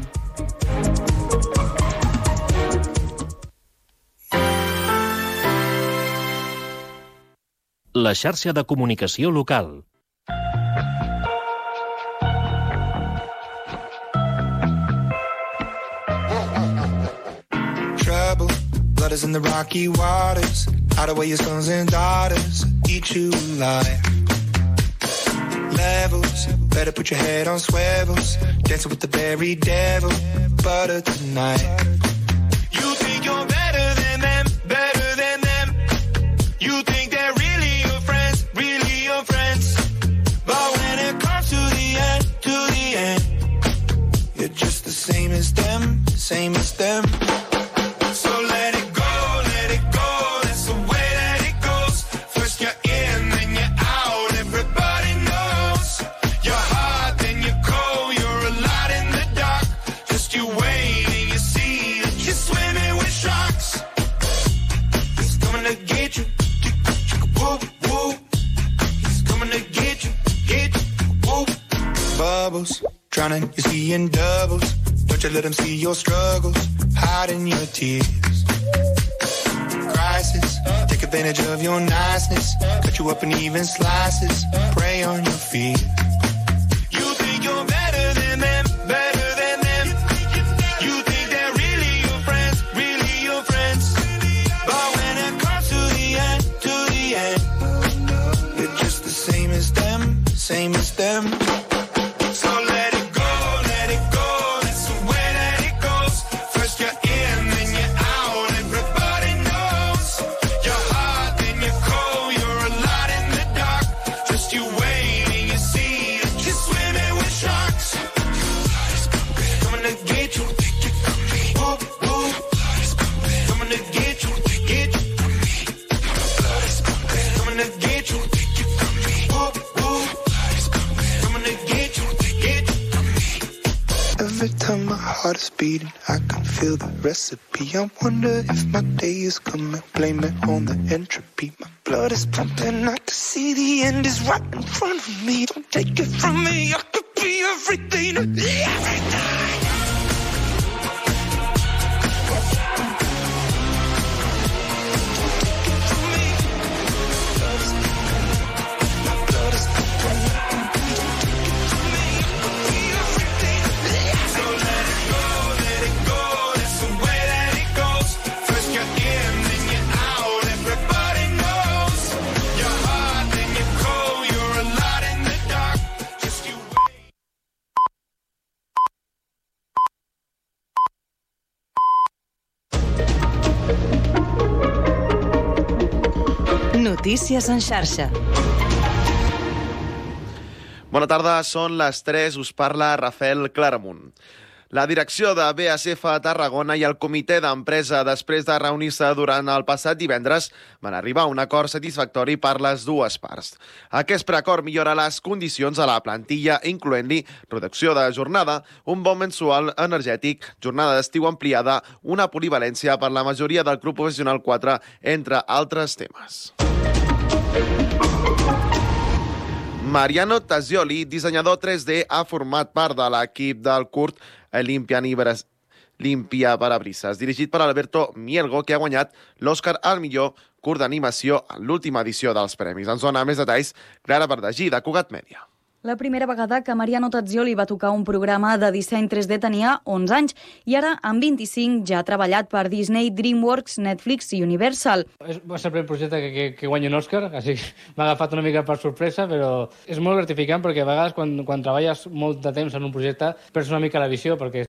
La xarxa de comunicació local. Trouble, blood is in the rocky waters. Hide away your sons and daughters, eat you alive. Levels, better put your head on swivels. Dancing with the very devil, butter tonight. You think you're better than them, better than them. You think they're really your friends, really your friends. But when it comes to the end, to the end, you're just the same as them, same as them. So let it go, let it go. That's the way that it goes. First you're in, then you're out. Everybody knows you're hot, then you're cold. You're a lot in the dark. Just you wait and you see that you're swimming with sharks. He's coming to get you. Whoop, whoop. He's coming to get you, get you. Whoop. Bubbles, drowning, you see in doubles. Don't you let them see your struggles, hiding your tears. Crisis, take advantage of your niceness. Cut you up in even slices, prey on your fears. You think you're better than get you, take it from me. Whoop, whoop, blood is pumping. Coming to get you, get you from me. Blood is pumping. Coming to get you, take it from me. Whoop, whoop, blood is pumping. Coming to get you, get you from me. Every time my heart is beating, I can feel the recipe. I wonder if my day is coming, blame it on the entropy. My blood is pumping, I can see the end is right in front of me. Don't take it from me, I could be everything to everything. Notícies en xarxa. Bona tarda, són les tres, us parla Rafael Claramunt. La direcció de B A S F a Tarragona i el comitè d'empresa, després de reunir-se durant el passat divendres, van arribar a un acord satisfactori per les dues parts. Aquest preacord millora les condicions a la plantilla, incloent-li reducció de jornada, un bon mensual energètic, jornada d'estiu ampliada, una polivalència per la majoria del grup professional quatre, entre altres temes. Mariano Tassioli, dissenyador tres D, ha format part de l'equip del curt Limpia Parabrises, dirigit per Alberto Mielgo, que ha guanyat l'Oscar al millor curt d'animació en l'última edició dels premis. Ens dona més detalls Clara Verdagí, de Cugat Mèdia. La primera vegada que Mariano Tassioli va tocar un programa de disseny tres D tenia onze anys i ara, amb vint-i-cinc, ja ha treballat per Disney, DreamWorks, Netflix i Universal. Va ser el primer projecte que, que, que guanya un Òscar, així m'ha agafat una mica per sorpresa, però és molt gratificant perquè a vegades quan, quan treballes molt de temps en un projecte perds una mica la visió, perquè